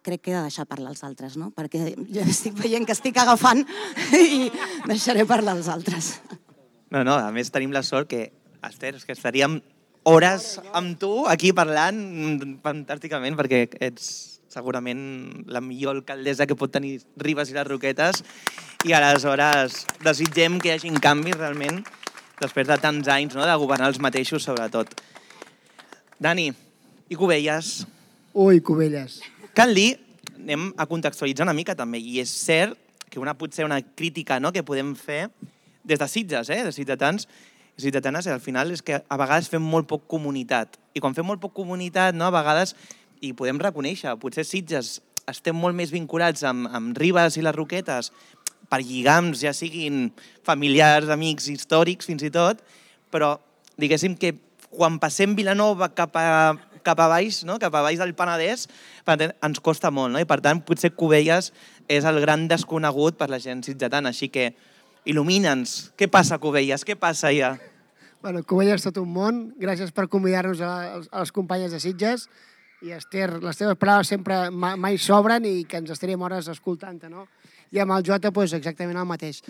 Crec que he de deixar parlar els altres, no? Perquè jo estic veient que estic agafant i deixaré parlar els altres. No, a més tenim la sort que, Esther, que estaríem hores amb tu aquí parlant fantàsticament perquè ets segurament la millor alcaldessa que pot tenir Ribes i les Roquetes i aleshores desitgem que hi hagi canvis realment després de tants anys de governar els mateixos sobretot. Dani, i Cubelles? Ui, Cubelles. Cal dir, anem a contextualitzar una mica també, i és cert que potser una crítica que podem fer des de Sitges, de ciutadans i ciutadanes, al final és que a vegades fem molt poc comunitat. I quan fem molt poc comunitat, a vegades, i podem reconèixer, potser Sitges estem molt més vinculats amb Ribes i les Roquetes per lligams, ja siguin familiars, amics, històrics, fins i tot, però diguéssim que quan passem Vilanova cap a baix, cap a baix del Penedès, ens costa molt, i per tant potser Cubelles és el gran desconegut per la gent sitgetana, així que il·lumina'ns. Què passa a Cubelles? Què passa allà? Bueno, Cubelles és tot un món. Gràcies per convidar-nos a les companyes de Sitges. I Esther, les teves paraules sempre mai sobren i que ens estaríem hores escoltant-te, no? I amb el Jota, exactament el mateix.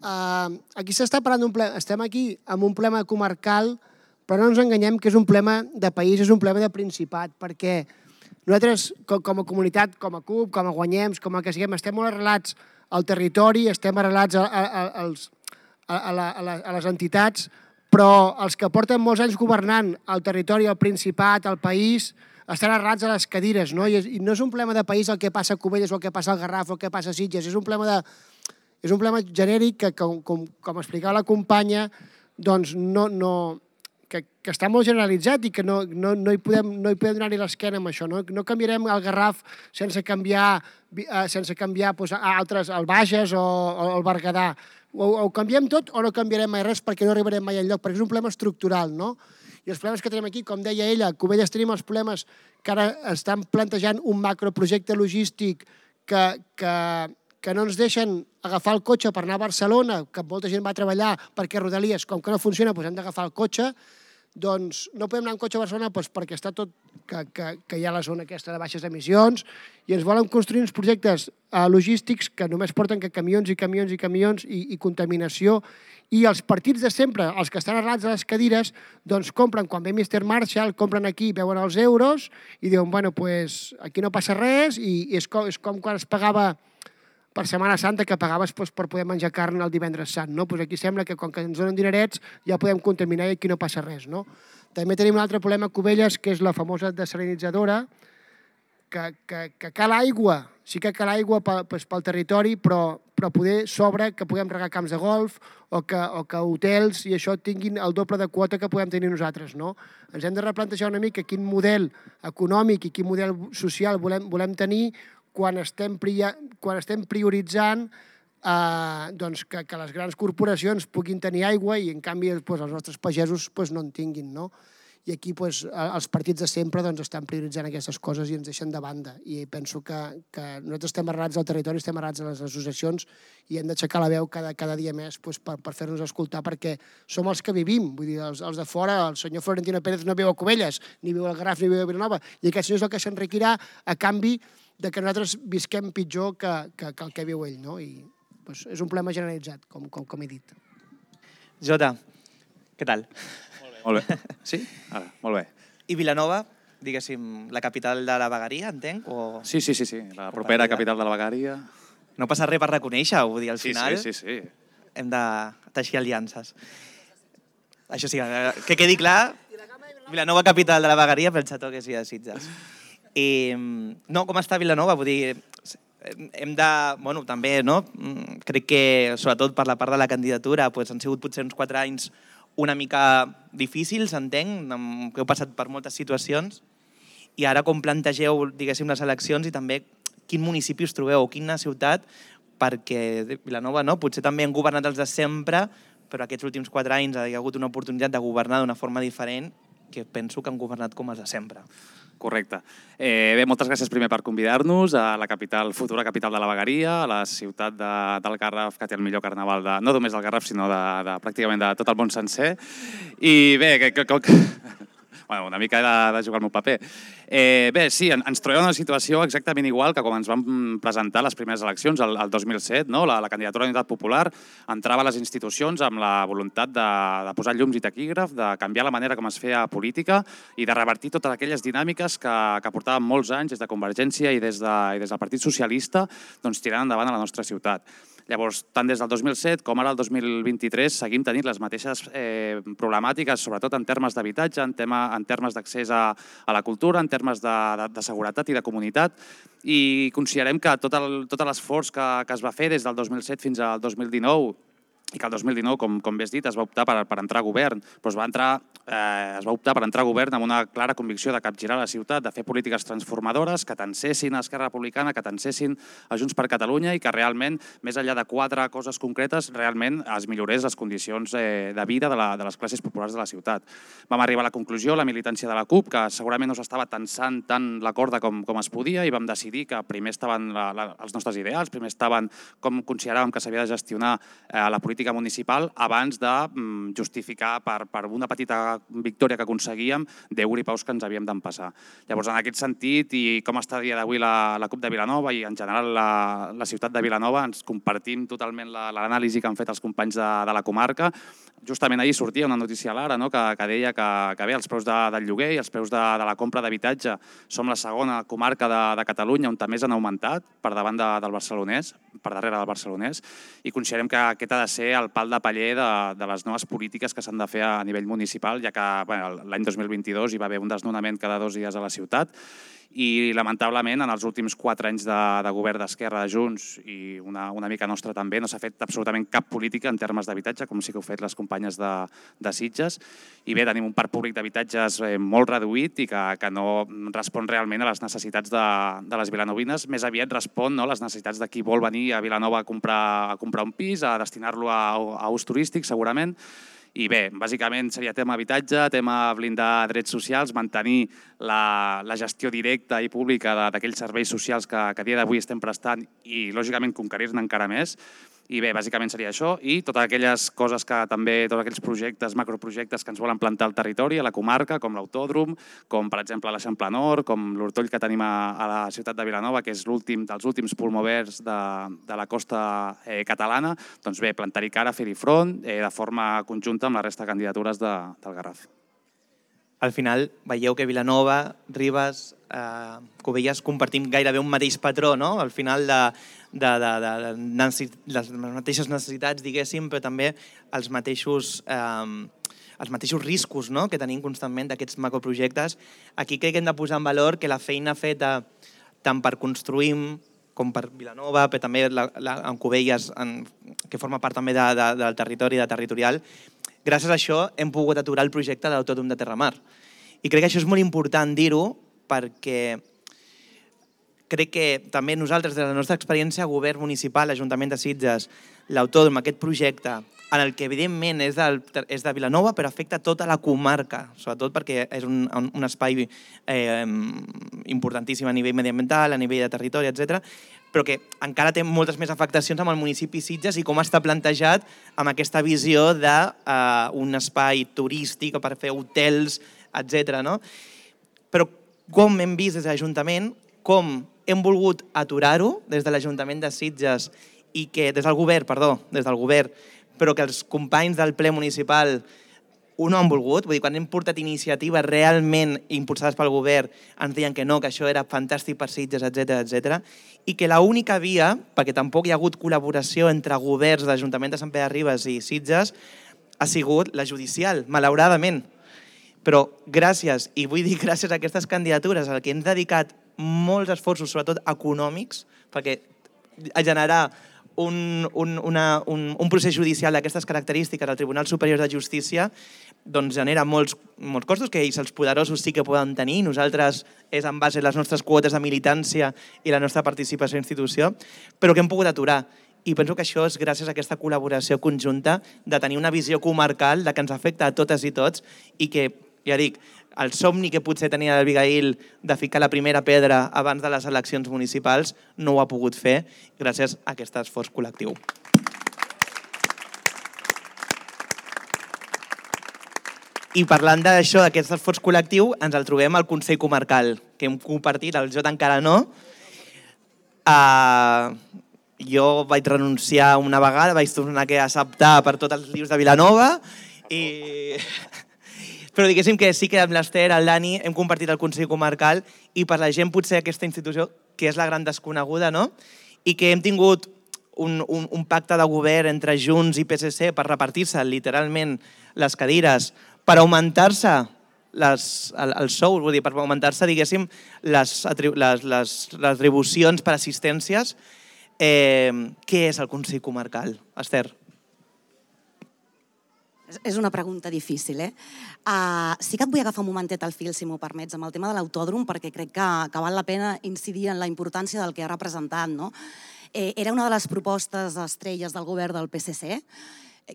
Aquí s'està parlant d'un problema. Estem aquí amb un problema comarcal, però no ens enganyem que és un problema de país, és un problema de Principat, perquè nosaltres, com a comunitat, com a CUP, com a Guanyem, com a que siguem, estem molt arrelats al territori, estem arrelats a les entitats, però els que porten molts anys governant el territori, el Principat, el país, estan arrelats a les cadires, no? I no és un problema de país el que passa a Cubelles o el que passa al Garraf o el que passa a Sitges, és un problema genèric que, com explicava la companya, doncs que està molt generalitzat i que no hi podem donar-hi l'esquena amb això. No canviarem el Garraf sense canviar altres, el Bages o el Berguedà. O canviem tot o no canviarem mai res perquè no arribarem mai enlloc, perquè és un problema estructural, no? I els problemes que tenim aquí, com deia ella, a Cubelles tenim els problemes que ara estan plantejant un macroprojecte logístic que no ens deixen agafar el cotxe per anar a Barcelona, que molta gent va a treballar perquè Rodalies, com que no funciona, hem d'agafar el cotxe, doncs no podem anar en cotxe a Barcelona perquè està tot, que hi ha la zona aquesta de baixes emissions i ens volen construir uns projectes logístics que només porten que camions i camions i camions i contaminació i els partits de sempre, els que estan arrelats a les cadires, doncs compren, quan ve Mr. Marshall, compren aquí, veuen els euros i diuen, bueno, pues aquí no passa res i és com quan es pagava per Setmana Santa que pagaves per poder menjar carn el divendres sant. Aquí sembla que quan ens donen dinerets ja podem contaminar i aquí no passa res. També tenim un altre problema a Cubelles, que és la famosa desalinitzadora, que cal aigua, sí que cal aigua pel territori, però però poder sobre que puguem regar camps de golf o que hotels i això tinguin el doble de quota que podem tenir nosaltres, no? Ens hem de replantejar una mica quin model econòmic i quin model social volem tenir quan estem prioritzant que les grans corporacions puguin tenir aigua i, en canvi, els nostres pagesos no en tinguin, no? I aquí els partits de sempre estan prioritzant aquestes coses i ens deixen de banda. I penso que nosaltres estem arrelats al territori, estem arrelats a les associacions i hem d'aixecar la veu cada dia més per fer-nos escoltar, perquè som els que vivim. Vull dir, els de fora, el senyor Florentino Pérez no viu a Cubelles, ni viu al Garraf, ni viu a Vilanova, i aquest senyor és el que s'enriquirà a canvi de que nosaltres visquem pitjor que el que viu ell, no? I és un problema generalitzat, com he dit. Jota, què tal? Molt bé. Sí? Ara, molt bé. I Vilanova, diguéssim, la capital de la vegueria, entenc? Sí, la propera capital de la vegueria. No passa res per reconèixer-ho, vull dir, al final Sí. hem de teixir aliances. Això sí, que quedi clar, Vilanova, capital de la vegueria, pel xató que sí de Sitges. No, com està Vilanova? Vull dir, hem de... Bueno, també, no? Crec que, sobretot per la part de la candidatura, han sigut potser uns 4 anys una mica difícils, entenc, que heu passat per moltes situacions, i ara com plantegeu, diguéssim, les eleccions i també quin municipi us trobeu o quina ciutat, perquè Vilanova potser també han governat els de sempre, però aquests últims 4 anys hi ha hagut una oportunitat de governar d'una forma diferent que penso que han governat com els de sempre. Correcte. Bé, moltes gràcies primer per convidar-nos a la futura capital de la vegueria, a la ciutat del Garraf, que té el millor carnaval, no només del Garraf, sinó pràcticament de tot el món sencer. I bé, una mica de jugar el meu paper. Bé, sí, ens trobem en una situació exactament igual que quan ens vam presentar les primeres eleccions, el 2007, la candidatura d'Unitat Popular entrava a les institucions amb la voluntat de posar llums i taquígraf, de canviar la manera com es feia política i de revertir totes aquelles dinàmiques que portaven molts anys des de Convergència i des del Partit Socialista tirant endavant a la nostra ciutat. Llavors, tant des del 2007 com ara el 2023 seguim tenint les mateixes problemàtiques, sobretot en termes d'habitatge, en termes d'accés a la cultura, en termes de seguretat i de comunitat, i considerem que tot l'esforç que es va fer des del 2007 fins al 2019, i que el 2019, com bé has dit, es va optar per entrar a govern, però es va optar per entrar a govern amb una clara convicció de capgirar la ciutat, de fer polítiques transformadores que tensessin a Esquerra Republicana, que tensessin a Junts per Catalunya i que realment, més enllà de 4 coses concretes, realment es millorés les condicions de vida de les classes populars de la ciutat. Vam arribar a la conclusió, la militància de la CUP, que segurament no s'estava tensant tant la corda com es podia, i vam decidir que primer estaven els nostres ideals, primer estaven com consideràvem que s'havia de gestionar la política municipal abans de justificar per una petita victòria que aconseguíem 10 gripaus que ens havíem d'empassar. Llavors, en aquest sentit, i com està a dia d'avui la CUP de Vilanova i en general la ciutat de Vilanova, ens compartim totalment l'anàlisi que han fet els companys de la comarca. Justament ahir sortia una notícia a l'Ara que deia que bé, els preus del lloguer i els preus de la compra d'habitatge som la segona comarca de Catalunya on més han augmentat per davant del barcelonès, per darrere del barcelonès, i considerem que aquest ha de ser el pal de paller de les noves polítiques que s'han de fer a nivell municipal, ja que l'any 2022 hi va haver un desnonament cada 2 dies a la ciutat i, lamentablement, en els últims 4 anys de govern d'Esquerra, de Junts i una mica nostra també, no s'ha fet absolutament cap política en termes d'habitatge, com sí que heu fet les companyes de Sitges. I bé, tenim un parc públic d'habitatges molt reduït i que no respon realment a les necessitats de les vilanovines, més aviat respon a les necessitats de qui vol venir a Vilanova a comprar un pis, a destinar-lo a ús turístic, segurament. I bé, bàsicament seria tema habitatge, tema blindar drets socials, mantenir la gestió directa i pública d'aquells serveis socials que a dia d'avui estem prestant i, lògicament, conquerir-ne encara més. I bé, bàsicament seria això i totes aquelles coses que també, tots aquells projectes, macroprojectes que ens volen plantar al territori, a la comarca, com l'autòdrom, com per exemple l'Eixample Nord, com l'Hortoll que tenim a la ciutat de Vilanova, que és l'últim dels últims pulmovers de la costa catalana, doncs bé, plantar-hi cara, fer-hi front de forma conjunta amb la resta de candidatures del Garraf. Al final veieu que Vilanova, Ribes, Cubelles compartim gairebé un mateix patró, no? Al final les mateixes necessitats, diguéssim, però també els mateixos riscos que tenim constantment d'aquests macroprojectes. Aquí crec que hem de posar en valor que la feina feta tant per construir com per Vilanova, però també en Cubelles, que forma part també del territori, de territorial. Gràcies a això hem pogut aturar el projecte de l'Autòdrom de Terramar. I crec que això és molt important dir-ho perquè crec que també nosaltres, des de la nostra experiència, govern municipal, Ajuntament de Sitges, l'Autòdrom, aquest projecte, en el que evidentment és de Vilanova, però afecta tota la comarca, sobretot perquè és un espai importantíssim a nivell mediambiental, a nivell de territori, etc., però que encara té moltes més afectacions amb el municipi Sitges i com està plantejat amb aquesta visió d'un espai turístic per fer hotels, etc. Però com hem vist des de l'Ajuntament, com hem volgut aturar-ho des de l'Ajuntament de Sitges i que des del govern, però que els companys del ple municipal ho no han volgut. Vull dir, quan hem portat iniciatives realment impulsades pel govern, ens deien que no, que això era fantàstic per Sitges, etc. I que l'única via, perquè tampoc hi ha hagut col·laboració entre governs de l'Ajuntament de Sant Pere de Ribes i Sitges, ha sigut la judicial, malauradament. Però gràcies, i vull dir gràcies a aquestes candidatures, al que hem dedicat molts esforços, sobretot econòmics, perquè a generar un procés judicial d'aquestes característiques al Tribunal Superior de Justícia doncs genera molts costos que ells, els poderosos, sí que poden tenir. Nosaltres és en base a les nostres quotes de militància i la nostra participació a la institució, però que hem pogut aturar. I penso que això és gràcies a aquesta col·laboració conjunta de tenir una visió comarcal de que ens afecta a totes i tots i que, ja dic, el somni que potser tenia l'Abigail de ficar la primera pedra abans de les eleccions municipals no ho ha pogut fer gràcies a aquest esforç col·lectiu. I parlant d'això, d'aquest esforç col·lectiu, ens el trobem al Consell Comarcal, que hem compartit, el Jota encara no. Jo vaig renunciar una vegada, vaig tornar a acceptar per tots els lius de Vilanova i... Però diguéssim que sí que amb l'Ester, el Dani, hem compartit el Consell Comarcal i per la gent potser aquesta institució, que és la gran desconeguda, no? I que hem tingut un pacte de govern entre Junts i PSC per repartir-se literalment les cadires, per augmentar-se els sous, vull dir, per augmentar-se, diguéssim, les retribucions per assistències. Què és el Consell Comarcal, Ester? És una pregunta difícil, eh? Sí que et vull agafar un momentet al fil, si m'ho permets, amb el tema de l'autòdrom, perquè crec que val la pena incidir en la importància del que ha representat, no? Era una de les propostes estrelles del govern del PSC,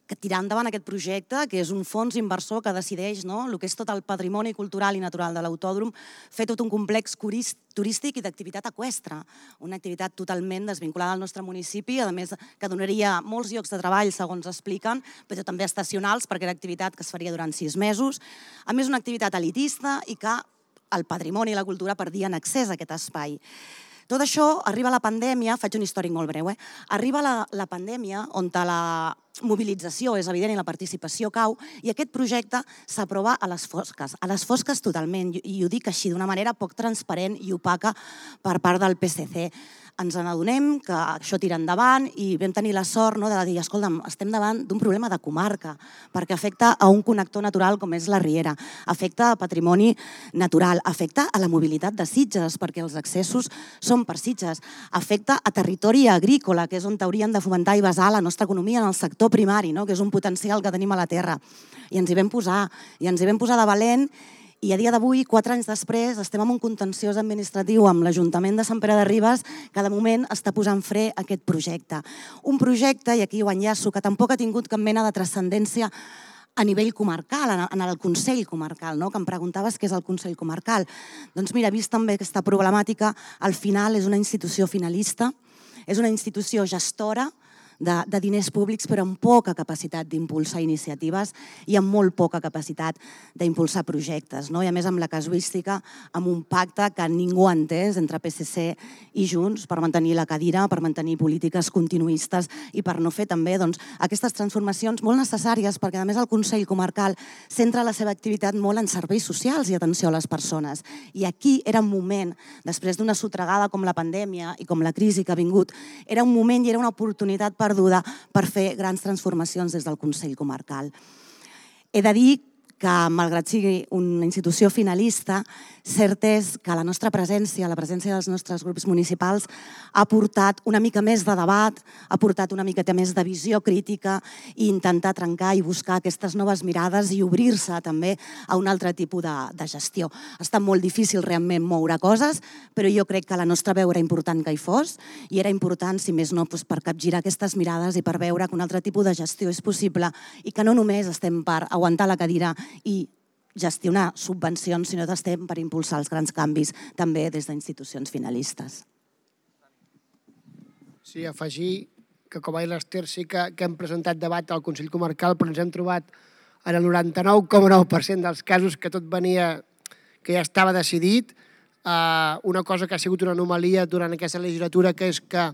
que tirar endavant aquest projecte, que és un fons inversor que decideix el que és tot el patrimoni cultural i natural de l'autòdrom, fer tot un complex turístic i d'activitat eqüestre, una activitat totalment desvinculada al nostre municipi, a més que donaria molts llocs de treball, segons expliquen, però també estacionals, perquè era activitat que es faria durant 6 mesos, a més una activitat elitista i que el patrimoni i la cultura perdien accés a aquest espai. Tot això arriba a la pandèmia, faig un històric molt breu, arriba la pandèmia on la mobilització és evident i la participació cau i aquest projecte s'aprova a les fosques totalment, i ho dic així d'una manera poc transparent i opaca per part del PSC. Ens n'adonem que això tira endavant i vam tenir la sort de dir, escolta'm, estem davant d'un problema de comarca, perquè afecta a un connector natural com és la Riera, afecta a patrimoni natural, afecta a la mobilitat de Sitges, perquè els accessos són per Sitges, afecta a territori agrícola, que és on hauríem de fomentar i basar la nostra economia en el sector primari, que és un potencial que tenim a la terra. I ens hi vam posar de valent. I a dia d'avui, 4 anys després, estem en un contenciós administratiu amb l'Ajuntament de Sant Pere de Ribes que de moment està posant fre a aquest projecte. Un projecte, i aquí ho enllaço, que tampoc ha tingut cap mena de transcendència a nivell comarcal, en el Consell Comarcal, que em preguntaves què és el Consell Comarcal. Doncs mira, vist també aquesta problemàtica, al final és una institució finalista, és una institució gestora de diners públics, però amb poca capacitat d'impulsar iniciatives i amb molt poca capacitat d'impulsar projectes. I a més amb la casuística, amb un pacte que ningú ha entès entre PSC i Junts per mantenir la cadira, per mantenir polítiques continuistes i per no fer també aquestes transformacions molt necessàries, perquè a més el Consell Comarcal centra la seva activitat molt en serveis socials i atenció a les persones. I aquí era un moment, després d'una sotragada com la pandèmia i com la crisi que ha vingut, era un moment i era una oportunitat perduda per fer grans transformacions des del Consell Comarcal. He de dir que, malgrat sigui una institució finalista, cert és que la nostra presència, la presència dels nostres grups municipals, ha portat una mica més de debat, ha portat una miqueta més de visió crítica i intentar trencar i buscar aquestes noves mirades i obrir-se també a un altre tipus de gestió. Ha estat molt difícil realment moure coses, però jo crec que la nostra veu era important que hi fos i era important, si més no, per capgirar aquestes mirades i per veure que un altre tipus de gestió és possible i que no només estem per aguantar la cadira i gestionar subvencions, sinó que estem per impulsar els grans canvis també des d'institucions finalistes. Sí, afegir que, com ha dit l'Ester, sí que hem presentat debat al Consell Comarcal, però ens hem trobat en el 99,9% dels casos que tot venia, que ja estava decidit. Una cosa que ha sigut una anomalia durant aquesta legislatura, que és que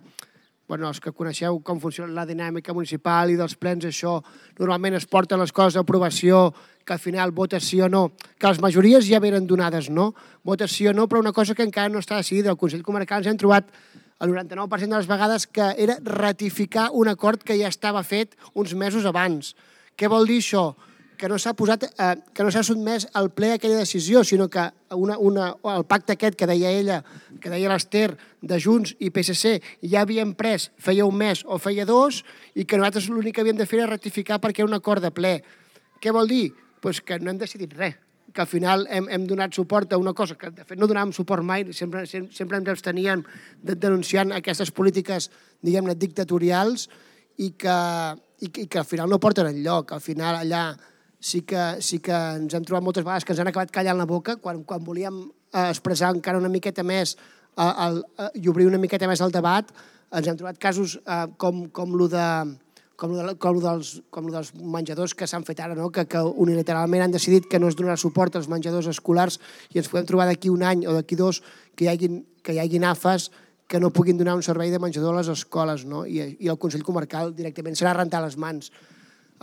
els que coneixeu com funciona la dinàmica municipal i dels plens, això normalment es porten les coses a aprovació, que al final vota sí o no, que les majories ja venen donades, no? Vota sí o no, però una cosa que encara no està decidida. Al Consell Comarcal ens hem trobat el 99% de les vegades que era ratificar un acord que ja estava fet uns mesos abans. Què vol dir això? Que no s'ha sotmès al ple aquella decisió, sinó que el pacte aquest que deia ella, que deia l'Ester, de Junts i PSC, ja havien pres feia un mes o feia dos i que nosaltres l'únic que havíem de fer era ratificar perquè era un acord de ple. Què vol dir? Doncs que no hem decidit res, que al final hem donat suport a una cosa que de fet no donàvem suport mai, sempre ens absteníem denunciant aquestes polítiques, diguem-ne, dictatorials i que al final no porten enlloc. Al final allà sí que ens hem trobat moltes vegades que ens han acabat callant la boca quan volíem expressar encara una miqueta més i obrir una miqueta més el debat. Ens hem trobat casos com el dels menjadors que s'han fet ara, que unilateralment han decidit que no es donarà suport als menjadors escolars i ens podem trobar d'aquí un any o d'aquí dos que hi hagi AFAs que no puguin donar un servei de menjador a les escoles, i el Consell Comarcal directament serà rentar les mans.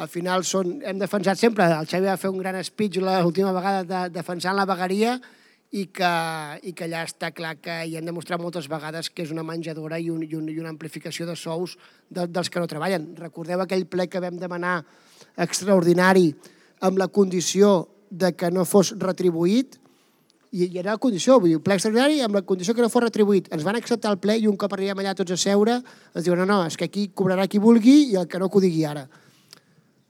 Al final hem defensat sempre, el Xavi va fer un gran speech l'última vegada defensant la vegueria i que allà està clar que hi hem demostrat moltes vegades que és una menjadora i una amplificació de sous dels que no treballen. Recordeu aquell ple que vam demanar extraordinari amb la condició de que no fos retribuït, i era la condició, vull dir, ple extraordinari amb la condició que no fos retribuït. Ens van acceptar el ple i un cop arribem allà tots a seure ens diuen no, és que aquí cobrarà qui vulgui i el que no que ho digui ara.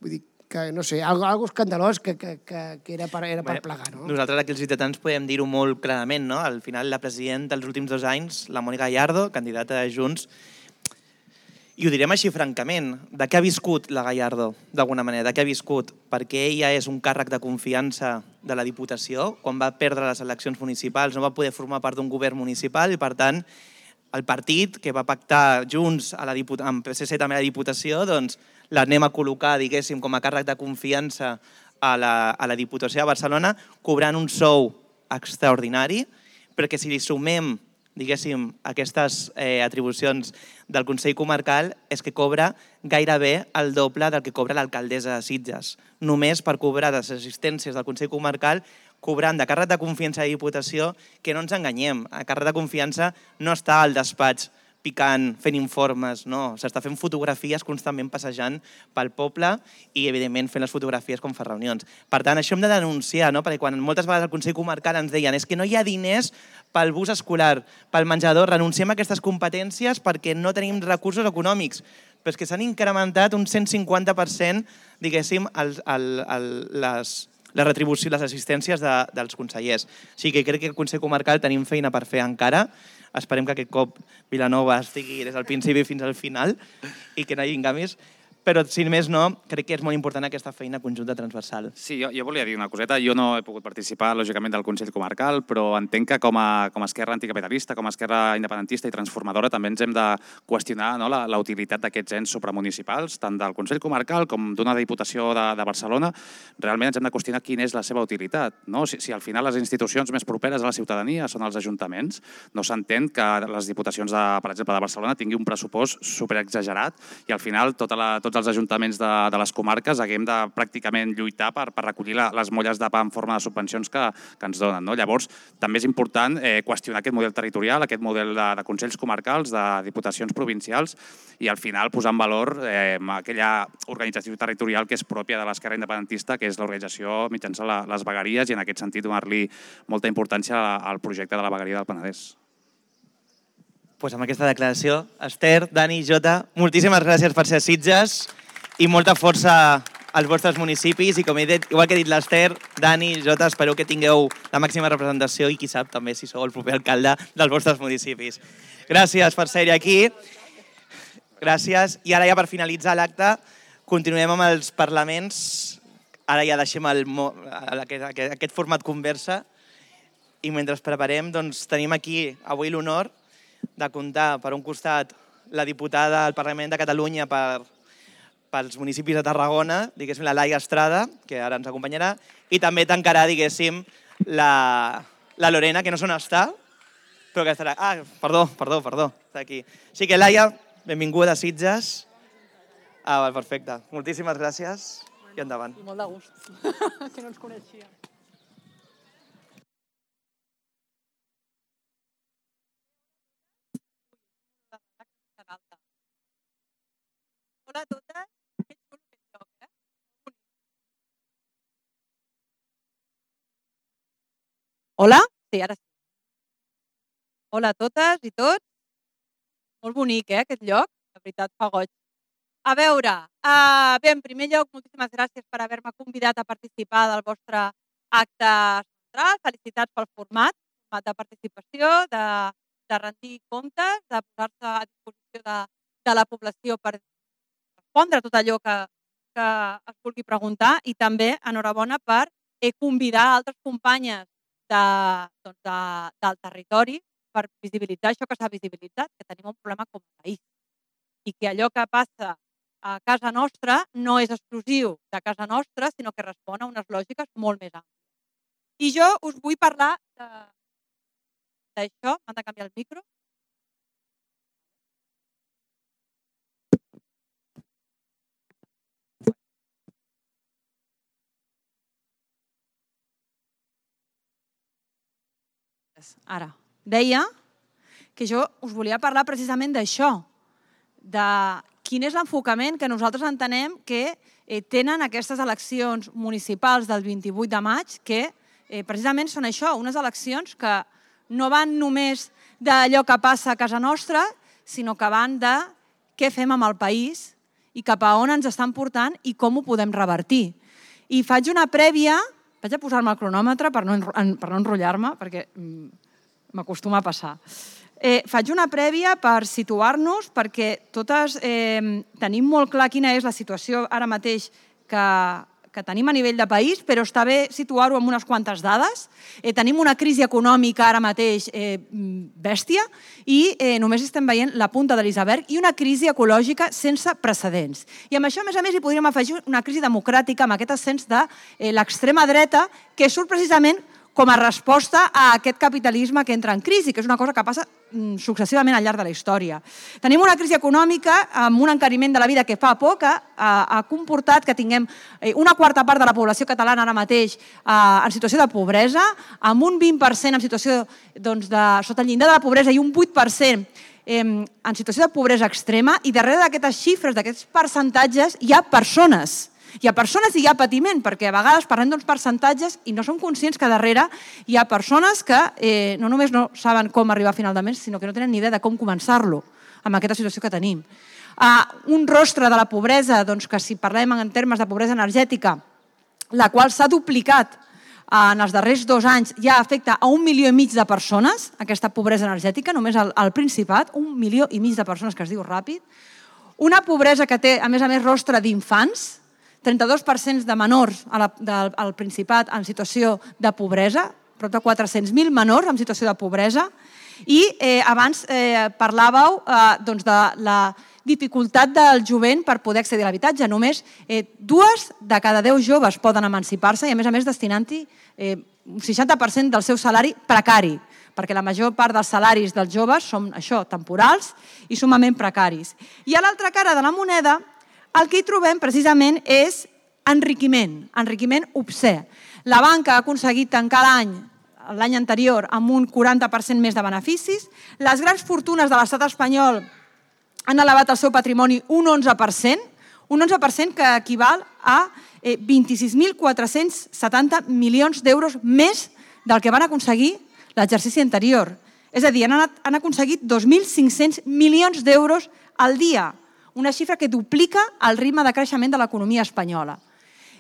Vull dir que, no sé, algo escandalós que era per plegar, no? Nosaltres aquí els ciutadans podem dir-ho molt clarament, no? Al final la presidenta dels últims 2 anys, la Mònica Gallardo, candidata de Junts, i ho direm així francament, de què ha viscut la Gallardo, d'alguna manera, de què ha viscut? Perquè ella és un càrrec de confiança de la Diputació, quan va perdre les eleccions municipals no va poder formar part d'un govern municipal i, per tant, el partit que va pactar Junts amb PSC també a la Diputació, doncs l'anem a col·locar, diguéssim, com a càrrec de confiança a la Diputació de Barcelona, cobrant un sou extraordinari, perquè si li sumem, diguéssim, aquestes atribucions del Consell Comarcal, és que cobra gairebé el doble del que cobra l'alcaldessa de Sitges. Només per cobrar les assistències del Consell Comarcal, cobrant de càrrec de confiança a la Diputació, que no ens enganyem, a càrrec de confiança no està al despatx picant, fent informes, no. S'està fent fotografies constantment passejant pel poble i, evidentment, fent les fotografies com fa reunions. Per tant, això hem de denunciar, no? Perquè quan moltes vegades al Consell Comarcal ens deien és que no hi ha diners pel bus escolar, pel menjador, renunciem a aquestes competències perquè no tenim recursos econòmics, però és que s'han incrementat un 150%, diguéssim, les retribucions, les assistències dels consellers. O sigui que crec que al Consell Comarcal tenim feina per fer encara. Esperem que aquest cop Vilanova estigui des del principi fins al final i que no hi hagi canvis. Però, si més no, crec que és molt important aquesta feina conjunta transversal. Sí, jo volia dir una coseta. Jo no he pogut participar, lògicament, del Consell Comarcal, però entenc que com a esquerra anticapitalista, com a esquerra independentista i transformadora, també ens hem de qüestionar la utilitat d'aquests ens supramunicipals, tant del Consell Comarcal com d'una Diputació de Barcelona. Realment ens hem de qüestionar quina és la seva utilitat. Si al final les institucions més properes a la ciutadania són els ajuntaments, no s'entén que les Diputacions, per exemple, de Barcelona tinguin un pressupost superexagerat i al final tots tots els ajuntaments de les comarques haguem de pràcticament lluitar per recollir les molles de pa en forma de subvencions que ens donen. Llavors, també és important qüestionar aquest model territorial, aquest model de consells comarcals, de diputacions provincials i al final posar en valor aquella organització territorial que és pròpia de l'esquerra independentista, que és l'organització mitjançant les vegueries i en aquest sentit donar-li molta importància al projecte de la vegueria del Penedès. Doncs amb aquesta declaració, Esther, Dani, Jota, moltíssimes gràcies per ser a Sitges i molta força als vostres municipis i com he dit, igual que he dit l'Esther, Dani, Jota, espero que tingueu la màxima representació i qui sap també si sou el proper alcalde dels vostres municipis. Gràcies per ser aquí. Gràcies. I ara ja per finalitzar l'acte continuem amb els parlaments. Ara ja deixem aquest format conversa i mentre preparem tenim aquí avui l'honor de comptar, per un costat, la diputada al Parlament de Catalunya pels municipis de Tarragona, diguéssim, la Laia Estrada, que ara ens acompanyarà, i també tancarà, diguéssim, la Lorena, que no sé on està, però que estarà... Ah, perdó, està aquí. Així que, Laia, benvinguda a Sitges. Ah, perfecte. Moltíssimes gràcies i endavant. I molt de gust, que no ens coneixia. Hola a totes. Que xulo aquest lloc, Hola? Sí, ara sí. Hola a totes i tots. Molt bonic, aquest lloc. De veritat, fa goig. A veure, bé, en primer lloc, moltíssimes gràcies per haver-me convidat a participar del vostre acte central. Felicitats pel format de participació, de rendir comptes, de posar-se a disposició de la població per respondre tot allò que es vulgui preguntar i també enhorabona per convidar altres companyes del territori per visibilitzar això que s'ha visibilitzat, que tenim un problema com a país i que allò que passa a casa nostra no és exclusiu de casa nostra, sinó que respon a unes lògiques molt més àmplies. I jo us vull parlar d'això. M'han de canviar el micro? Ara, deia que jo us volia parlar precisament d'això, de quin és l'enfocament que nosaltres entenem que tenen aquestes eleccions municipals del 28 de maig, que precisament són això, unes eleccions que no van només d'allò que passa a casa nostra, sinó que van de què fem amb el país i cap a on ens estan portant i com ho podem revertir. I faig una prèvia, vaig a posar-me el cronòmetre per no enrotllar-me, perquè m'acostuma a passar. Faig una prèvia per situar-nos, perquè totes tenim molt clar quina és la situació ara mateix que tenim a nivell de país, però està bé situar-ho amb unes quantes dades. Tenim una crisi econòmica ara mateix bèstia i només estem veient la punta de l'iceberg i una crisi ecològica sense precedents. I amb això, a més, hi podríem afegir una crisi democràtica amb aquest ascens de l'extrema dreta que surt precisament com a resposta a aquest capitalisme que entra en crisi, que és una cosa que passa successivament al llarg de la història. Tenim una crisi econòmica amb un encariment de la vida que fa por, que ha comportat que tinguem una quarta part de la població catalana ara mateix en situació de pobresa, amb un 20% en situació sota el llindar de la pobresa i un 8% en situació de pobresa extrema, i darrere d'aquestes xifres, d'aquests percentatges, hi ha persones. Hi ha persones i hi ha patiment, perquè a vegades parlem d'uns percentatges i no som conscients que darrere hi ha persones que no només no saben com arribar a final de mes, sinó que no tenen ni idea de com començar-lo amb aquesta situació que tenim. Un rostre de la pobresa, que si parlem en termes de pobresa energètica, la qual s'ha duplicat en els darrers 2 anys, ja afecta a 1,5 milió de persones, aquesta pobresa energètica, només al Principat, 1,5 milió de persones, que es diu ràpid. Una pobresa que té, a més, rostre d'infants, 32% de menors al Principat en situació de pobresa, prop de 400.000 menors en situació de pobresa, i abans parlàveu de la dificultat del jovent per poder accedir a l'habitatge. Només 2 de cada 10 joves poden emancipar-se i, a més, destinant-hi un 60% del seu salari precari, perquè la major part dels salaris dels joves són això, temporals i sumament precaris. I a l'altra cara de la moneda el que hi trobem precisament és enriquiment obscè. La banca ha aconseguit tancar l'any anterior amb un 40% més de beneficis, les grans fortunes de l'estat espanyol han elevat el seu patrimoni un 11%, que equival a 26.470 milions d'euros més del que van aconseguir l'exercici anterior. És a dir, han aconseguit 2.500 milions d'euros al dia, una xifra que duplica el ritme de creixement de l'economia espanyola.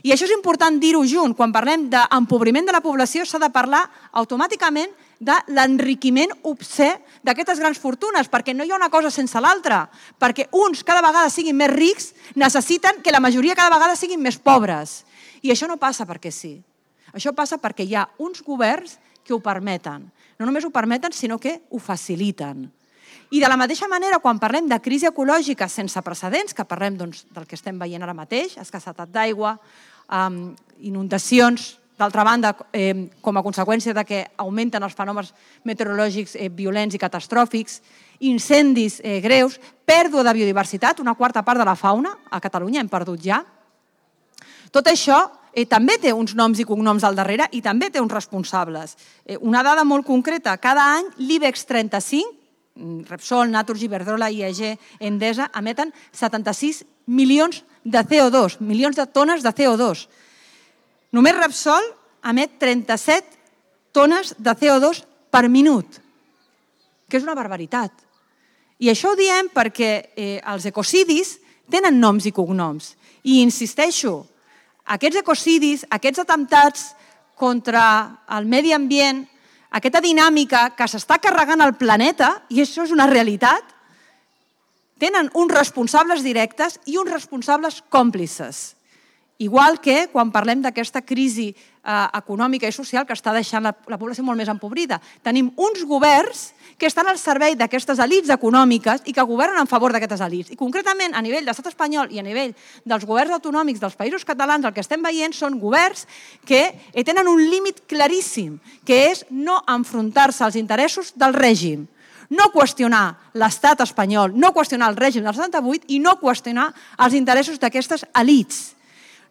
I això és important dir-ho junt. Quan parlem d'empobriment de la població s'ha de parlar automàticament de l'enriquiment obscè d'aquestes grans fortunes, perquè no hi ha una cosa sense l'altra, perquè uns cada vegada siguin més rics necessiten que la majoria cada vegada siguin més pobres. I això no passa perquè sí. Això passa perquè hi ha uns governs que ho permeten. No només ho permeten, sinó que ho faciliten. I de la mateixa manera, quan parlem de crisi ecològica sense precedents, que parlem del que estem veient ara mateix, escassetat d'aigua, inundacions, d'altra banda, com a conseqüència de que augmenten els fenòmens meteorològics violents i catastròfics, incendis greus, pèrdua de biodiversitat, una quarta part de la fauna a Catalunya hem perdut ja. Tot això també té uns noms i cognoms al darrere i també té uns responsables. Una dada molt concreta, cada any l'IBEX 35, Repsol, Naturgy, Iberdrola, IAG, Endesa, emeten 76 milions de CO2, milions de tones de CO2. Només Repsol emet 37 tones de CO2 per minut, que és una barbaritat. I això ho diem perquè els ecocidis tenen noms i cognoms. I insisteixo, aquests ecocidis, aquests atemptats contra el medi ambient, aquesta dinàmica que s'està carregant el planeta, i això és una realitat, tenen uns responsables directes i uns responsables còmplices. Igual que quan parlem d'aquesta crisi econòmica i social que està deixant la població molt més empobrida. Tenim uns governs que estan al servei d'aquestes elits econòmiques i que governen en favor d'aquestes elits. I concretament, a nivell de l'estat espanyol i a nivell dels governs autonòmics dels països catalans, el que estem veient són governs que tenen un límit claríssim, que és no enfrontar-se als interessos del règim, no qüestionar l'estat espanyol, no qüestionar el règim del 78 i no qüestionar els interessos d'aquestes elits.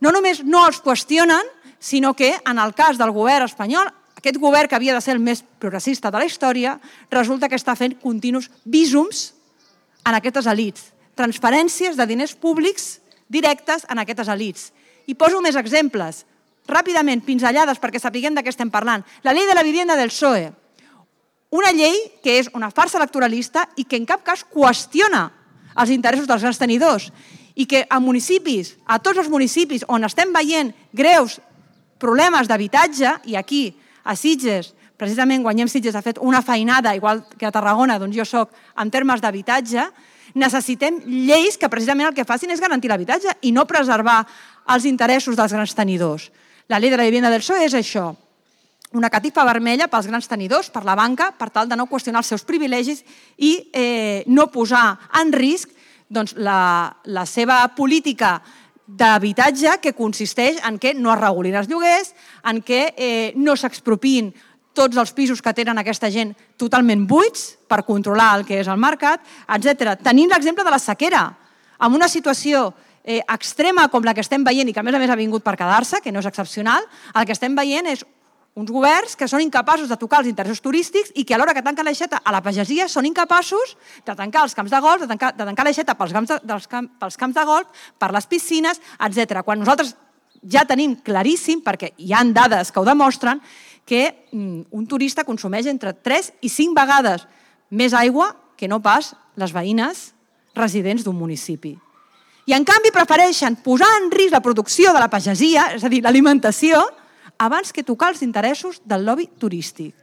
No només no els qüestionen, sinó que en el cas del govern espanyol, aquest govern que havia de ser el més progressista de la història, resulta que està fent continus vísums en aquestes elits, transferències de diners públics directes en aquestes elits. I poso més exemples, ràpidament, pinzellades perquè sapiguem de què estem parlant. La llei de la vivienda del PSOE, una llei que és una farsa electoralista i que en cap cas qüestiona els interessos dels grans tenidors i que a municipis, a tots els municipis on estem veient greus problemes d'habitatge, i aquí a Sitges, precisament Guanyem Sitges ha fet una feinada, igual que a Tarragona, d'on jo soc, en termes d'habitatge, necessitem lleis que precisament el que facin és garantir l'habitatge i no preservar els interessos dels grans tenidors. La llei de la vivienda del PSOE és això, una catifa vermella pels grans tenidors, per la banca, per tal de no qüestionar els seus privilegis i no posar en risc la seva política d'habitatge, que consisteix en què no es regulin els lloguers, en què no s'expropiïn tots els pisos que tenen aquesta gent totalment buits per controlar el que és el mercat, etc. Tenim l'exemple de la sequera, amb una situació extrema com la que estem veient i que a més ha vingut per quedar-se, que no és excepcional, el que estem veient és uns governs que són incapaços de tocar els interessos turístics i que a l'hora que tanquen l'aixeta a la pagesia són incapaços de tancar els camps de golf, de tancar l'aixeta pels camps de golf, per les piscines, etc. Quan nosaltres ja tenim claríssim, perquè hi ha dades que ho demostren, que un turista consumeix entre 3 i 5 vegades més aigua que no pas les veïnes residents d'un municipi. I en canvi prefereixen posar en risc la producció de la pagesia, és a dir, l'alimentació, abans que tocar els interessos del lobby turístic.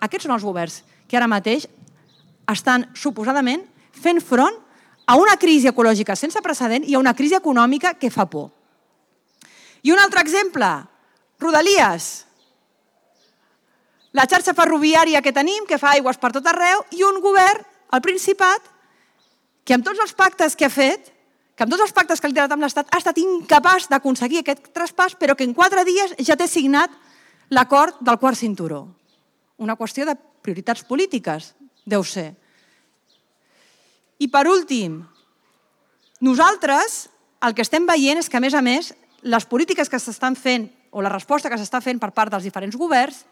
Aquests són els governs que ara mateix estan suposadament fent front a una crisi ecològica sense precedent i a una crisi econòmica que fa por. I un altre exemple, Rodalies. La xarxa ferroviària que tenim, que fa aigües per tot arreu, i un govern, el Principat, que amb tots els pactes que ha fet, que amb tots els pactes que ha liderat amb l'Estat ha estat incapaç d'aconseguir aquest traspàs, però que en 4 dies ja té signat l'acord del quart cinturó. Una qüestió de prioritats polítiques, deu ser. I per últim, nosaltres el que estem veient és que, a més, les polítiques que s'estan fent o la resposta que s'està fent per part dels diferents governs,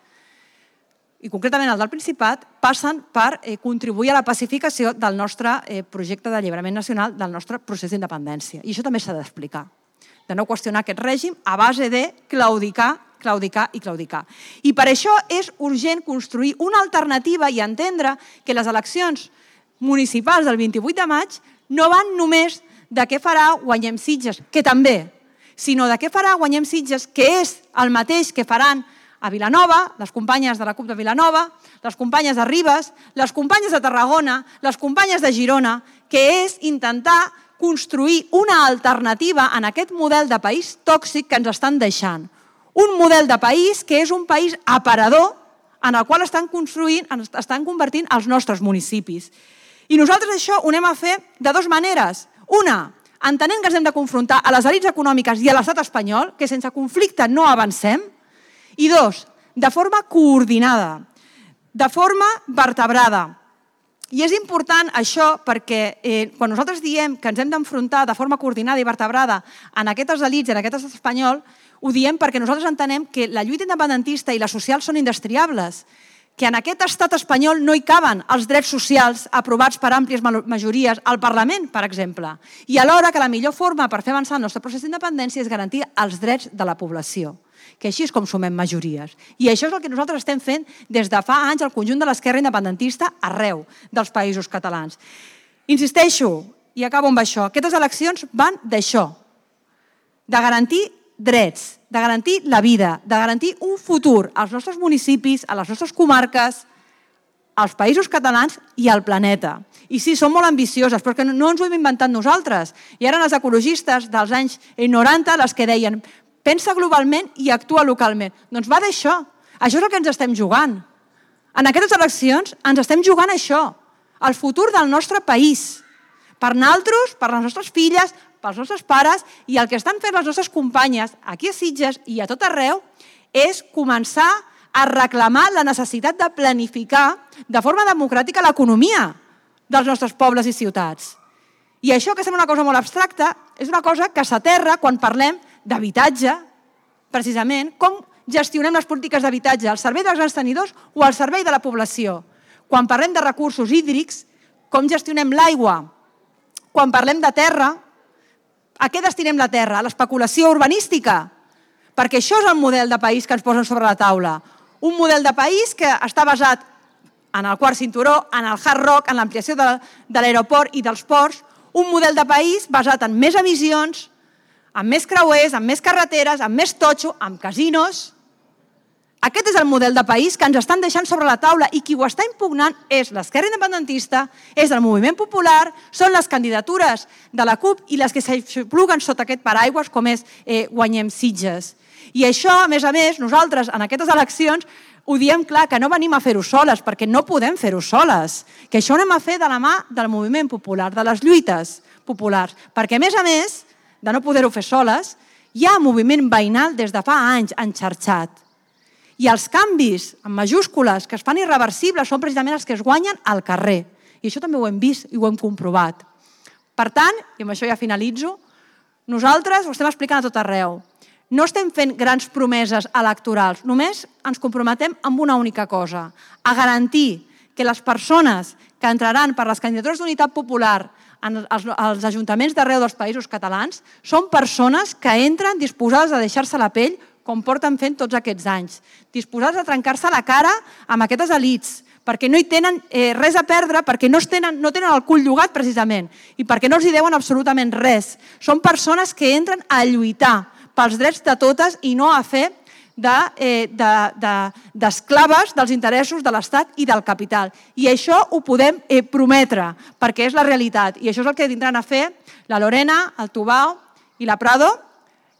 i concretament el del Principat, passen per contribuir a la pacificació del nostre projecte d'alliberament nacional, del nostre procés d'independència. I això també s'ha d'explicar. De no qüestionar aquest règim a base de claudicar i claudicar. I per això és urgent construir una alternativa i entendre que les eleccions municipals del 28 de maig no van només de què farà Guanyem Sitges, que també, sinó de què farà Guanyem Sitges, que és el mateix que faran a Vilanova, les companyes de la CUP de Vilanova, les companyes de Ribes, les companyes de Tarragona, les companyes de Girona, que és intentar construir una alternativa en aquest model de país tòxic que ens estan deixant. Un model de país que és un país aparador en el qual estan convertint els nostres municipis. I nosaltres això ho anem a fer de dues maneres. Una, entenent que ens hem de confrontar a les elits econòmiques i a l'estat espanyol, que sense conflicte no avancem. I dos, de forma coordinada, de forma vertebrada. I és important això perquè quan nosaltres diem que ens hem d'enfrontar de forma coordinada i vertebrada en aquestes elits i en aquest estat espanyol, ho diem perquè nosaltres entenem que la lluita independentista i la social són indestriables, que en aquest estat espanyol no hi caben els drets socials aprovats per àmplies majories al Parlament, per exemple, i alhora que la millor forma per fer avançar el nostre procés d'independència és garantir els drets de la població, que així és com sumem majories. I això és el que nosaltres estem fent des de fa anys al conjunt de l'esquerra independentista arreu dels països catalans. Insisteixo, i acabo amb això, aquestes eleccions van d'això, de garantir drets, de garantir la vida, de garantir un futur als nostres municipis, a les nostres comarques, als països catalans i al planeta. I sí, són molt ambicioses, però que no ens ho hem inventat nosaltres. I eren els ecologistes dels anys 90 les que deien pensa globalment i actua localment. Doncs va d'això. Això és el que ens estem jugant. En aquestes eleccions ens estem jugant això, el futur del nostre país. Per nosaltres, per les nostres filles, pels nostres pares, i el que estan fent les nostres companyes aquí a Sitges i a tot arreu és començar a reclamar la necessitat de planificar de forma democràtica l'economia dels nostres pobles i ciutats. I això, que sembla una cosa molt abstracta, és una cosa que s'aterra quan parlem d'habitatge, precisament, com gestionem les polítiques d'habitatge, al servei dels grans tenidors o al servei de la població. Quan parlem de recursos hídrics, com gestionem l'aigua. Quan parlem de terra, a què destinem la terra? A l'especulació urbanística? Perquè això és el model de país que ens posen sobre la taula. Un model de país que està basat en el quart cinturó, en el hard rock, en l'ampliació de l'aeroport i dels ports, un model de país basat en més emissions, amb més creuers, amb més carreteres, amb més totxo, amb casinos. Aquest és el model de país que ens estan deixant sobre la taula i qui ho està impugnant és l'esquerra independentista, és el moviment popular, són les candidatures de la CUP i les que s'aixopluguen sota aquest paraigües com és Guanyem Sitges. I això, a més, nosaltres en aquestes eleccions ho diem clar, que no venim a fer-ho soles, perquè no podem fer-ho soles, que això ho anem a fer de la mà del moviment popular, de les lluites populars, perquè, a més, de no poder-ho fer soles, hi ha moviment veïnal des de fa anys enxarxat. I els canvis, en majúscules, que es fan irreversibles, són precisament els que es guanyen al carrer. I això també ho hem vist i ho hem comprovat. Per tant, i amb això ja finalitzo, nosaltres ho estem explicant a tot arreu. No estem fent grans promeses electorals, només ens comprometem amb una única cosa, a garantir que les persones que entraran per les candidatures d'unitat popular als ajuntaments d'arreu dels països catalans són persones que entren disposades a deixar-se la pell com porten fent tots aquests anys, disposats a trencar-se la cara amb aquestes elits, perquè no hi tenen res a perdre, perquè no tenen el cul llogat precisament i perquè no els hi deuen absolutament res. Són persones que entren a lluitar pels drets de totes i no a fer d'esclaves dels interessos de l'Estat i del capital. I això ho podem prometre, perquè és la realitat. I això és el que vindran a fer la Lorena, el Tubau i la Prado,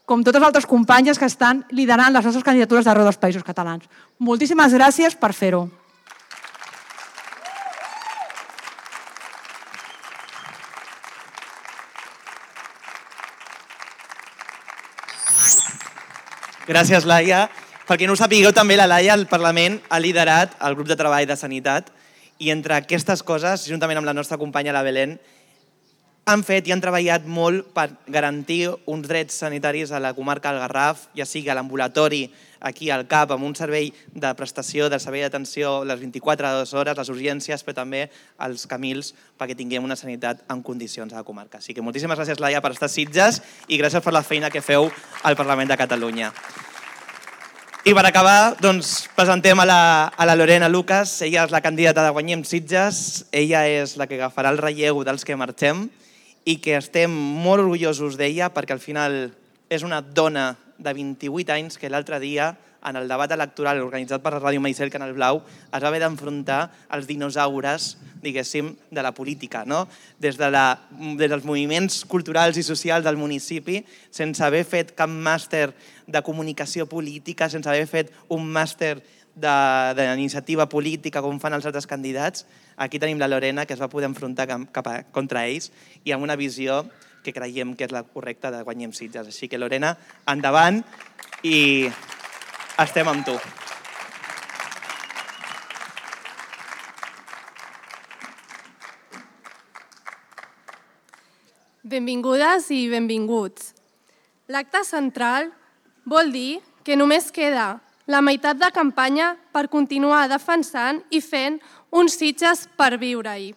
com totes les altres companyes que estan liderant les nostres candidatures d'arreu dels països catalans. Moltíssimes gràcies per fer-ho. Gràcies, Laia. Per qui no ho sapigueu, també la Laia al Parlament ha liderat el grup de treball de sanitat i entre aquestes coses, juntament amb la nostra companya la Belén, han fet i han treballat molt per garantir uns drets sanitaris a la comarca del Garraf, ja sigui a l'ambulatori, aquí al CAP, amb un servei de prestació, de servei d'atenció les 24 hores, les urgències, però també als Camils, perquè tinguem una sanitat en condicions a la comarca. Així que moltíssimes gràcies, Laia, per estar a Sitges i gràcies per la feina que feu al Parlament de Catalunya. I per acabar, doncs, presentem a la Lorena Lucas. Ella és la candidata de Guanyem Sitges. Ella és la que agafarà el relleu dels que marxem i que estem molt orgullosos d'ella perquè al final és una dona de 28 anys que l'altre dia, en el debat electoral organitzat per la Ràdio Maicel Canal Blau, es va haver d'enfrontar als dinosaures, diguéssim, de la política, no? Des dels moviments culturals i socials del municipi, sense haver fet cap màster de comunicació política, sense haver fet un màster d'iniciativa política com fan els altres candidats. Aquí tenim la Lorena, que es va poder enfrontar contra ells i amb una visió que creiem que és la correcta de Guanyem Sitges. Així que, Lorena, endavant i estem amb tu. Benvingudes i benvinguts. L'acte central vol dir que només queda la meitat de campanya per continuar defensant i fent uns Sitges per viure-hi.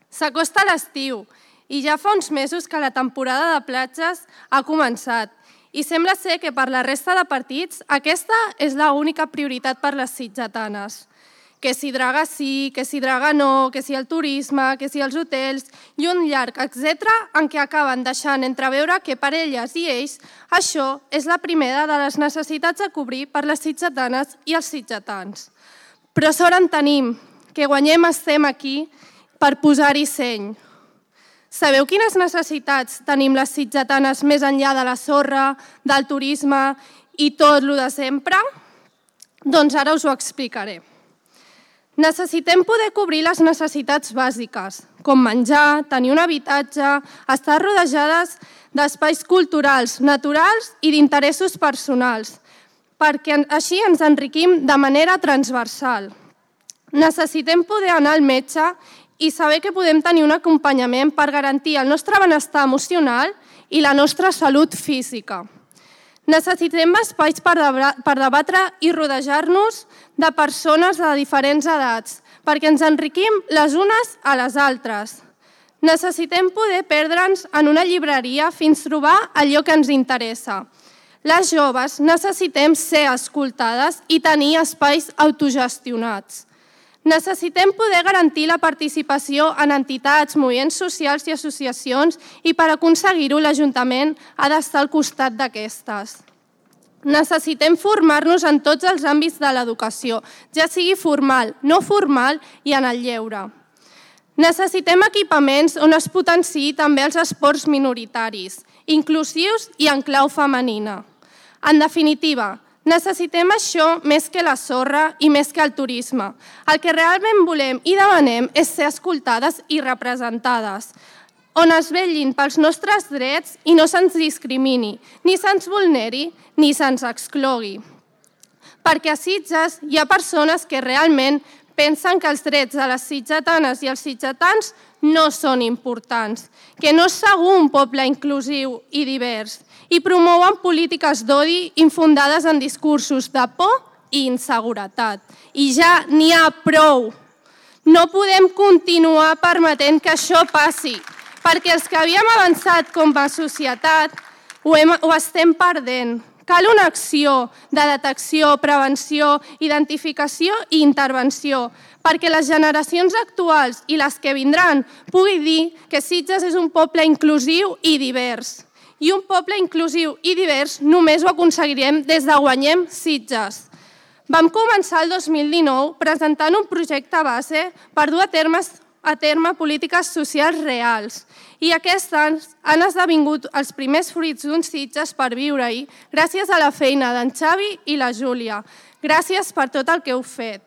S'acosta l'estiu i ja fa uns mesos que la temporada de platges ha començat i sembla ser que per la resta de partits aquesta és l'única prioritat per les sitgetanes. Que si Draga sí, que si Draga no, que si el turisme, que si els hotels i un llarg etcètera en què acaben deixant entreveure que per elles i ells això és la primera de les necessitats a cobrir per les sitgetanes i els sitgetans. Però sort en tenim, que Guanyem estem aquí per posar-hi seny. Sabeu quines necessitats tenim les sitgetanes més enllà de la sorra, del turisme i tot lo de sempre? Doncs ara us ho explicaré. Necessitem poder cobrir les necessitats bàsiques, com menjar, tenir un habitatge, estar rodejades d'espais culturals, naturals i d'interessos personals, perquè així ens enriquim de manera transversal. Necessitem poder anar al metge i saber que podem tenir un acompanyament per garantir el nostre benestar emocional i la nostra salut física. Necessitem espais per debatre i rodejar-nos de persones de diferents edats, perquè ens enriquim les unes a les altres. Necessitem poder perdre'ns en una llibreria fins trobar allò que ens interessa. Les joves necessitem ser escoltades i tenir espais autogestionats. Necessitem poder garantir la participació en entitats, moviments socials i associacions i per aconseguir-ho l'Ajuntament ha d'estar al costat d'aquestes. Necessitem formar-nos en tots els àmbits de l'educació, ja sigui formal, no formal i en el lleure. Necessitem equipaments on es potenciï també els esports minoritaris, inclusius i en clau femenina. En definitiva, necessitem això més que la sorra i més que el turisme. El que realment volem i demanem és ser escoltades i representades, on es vetllin pels nostres drets i no se'ns discrimini, ni se'ns vulneri, ni se'ns exclogui. Perquè a Sitges hi ha persones que realment pensen que els drets de les sitgetanes i els sitgetans no són importants, que no és segur un poble inclusiu i divers, i promouen polítiques d'odi infundades en discursos de por i inseguretat. I ja n'hi ha prou. No podem continuar permetent que això passi, perquè els que havíem avançat com a societat ho estem perdent. Cal una acció de detecció, prevenció, identificació i intervenció, perquè les generacions actuals i les que vindran puguin dir que Sitges és un poble inclusiu i divers. I un poble inclusiu i divers només ho aconseguirem des de Guanyem Sitges. Vam començar el 2019 presentant un projecte base per dur a terme polítiques socials reals i aquestes han esdevingut els primers fruits d'uns Sitges per viure-hi gràcies a la feina d'en Xavi i la Júlia. Gràcies per tot el que heu fet.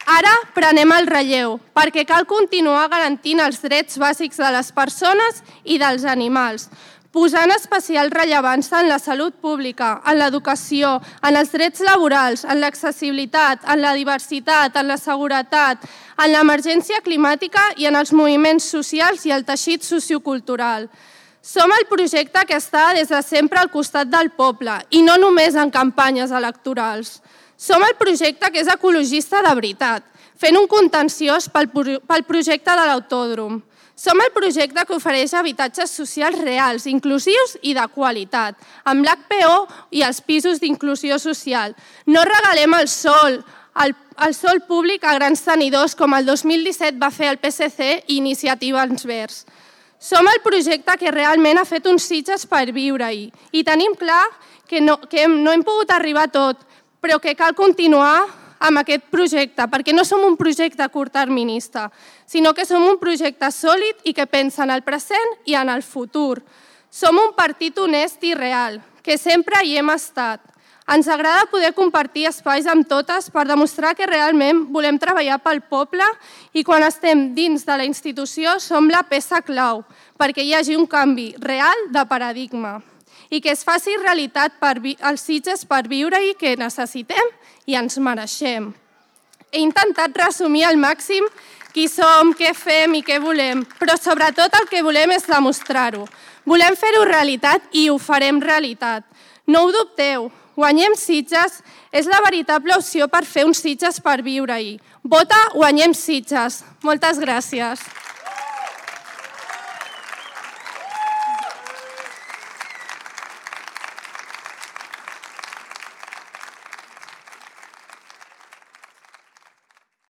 Ara prenem el relleu, perquè cal continuar garantint els drets bàsics de les persones i dels animals. posant especial rellevància en la salut pública, en l'educació, en els drets laborals, en l'accessibilitat, en la diversitat, en la seguretat, en l'emergència climàtica i en els moviments socials i el teixit sociocultural. Som el projecte que està des de sempre al costat del poble i no només en campanyes electorals. Som el projecte que és ecologista de veritat, fent un contenciós pel projecte de l'autòdrom. Som el projecte que ofereix habitatges socials reals, inclusius i de qualitat, amb l'HPO i els pisos d'inclusió social. No regalem el sòl públic a grans tenidors com el 2017 va fer el PSC i Iniciativa Verds. Som el projecte que realment ha fet uns Sitges per viure-hi i tenim clar que no hem pogut arribar a tot, però que cal continuar amb aquest projecte, perquè no som un projecte curtterminista, sinó que som un projecte sòlid i que pensa en el present i en el futur. Som un partit honest i real, que sempre hi hem estat. Ens agrada poder compartir espais amb totes per demostrar que realment volem treballar pel poble i quan estem dins de la institució som la peça clau perquè hi hagi un canvi real de paradigma i que es faci realitat els Sitges per viure-hi que necessitem i ens mereixem. He intentat resumir al màxim qui som, què fem i què volem, però sobretot el que volem és demostrar-ho. Volem fer-ho realitat i ho farem realitat. No ho dubteu, Guanyem Sitges és la veritable opció per fer uns Sitges per viure-hi. Vota Guanyem Sitges. Moltes gràcies.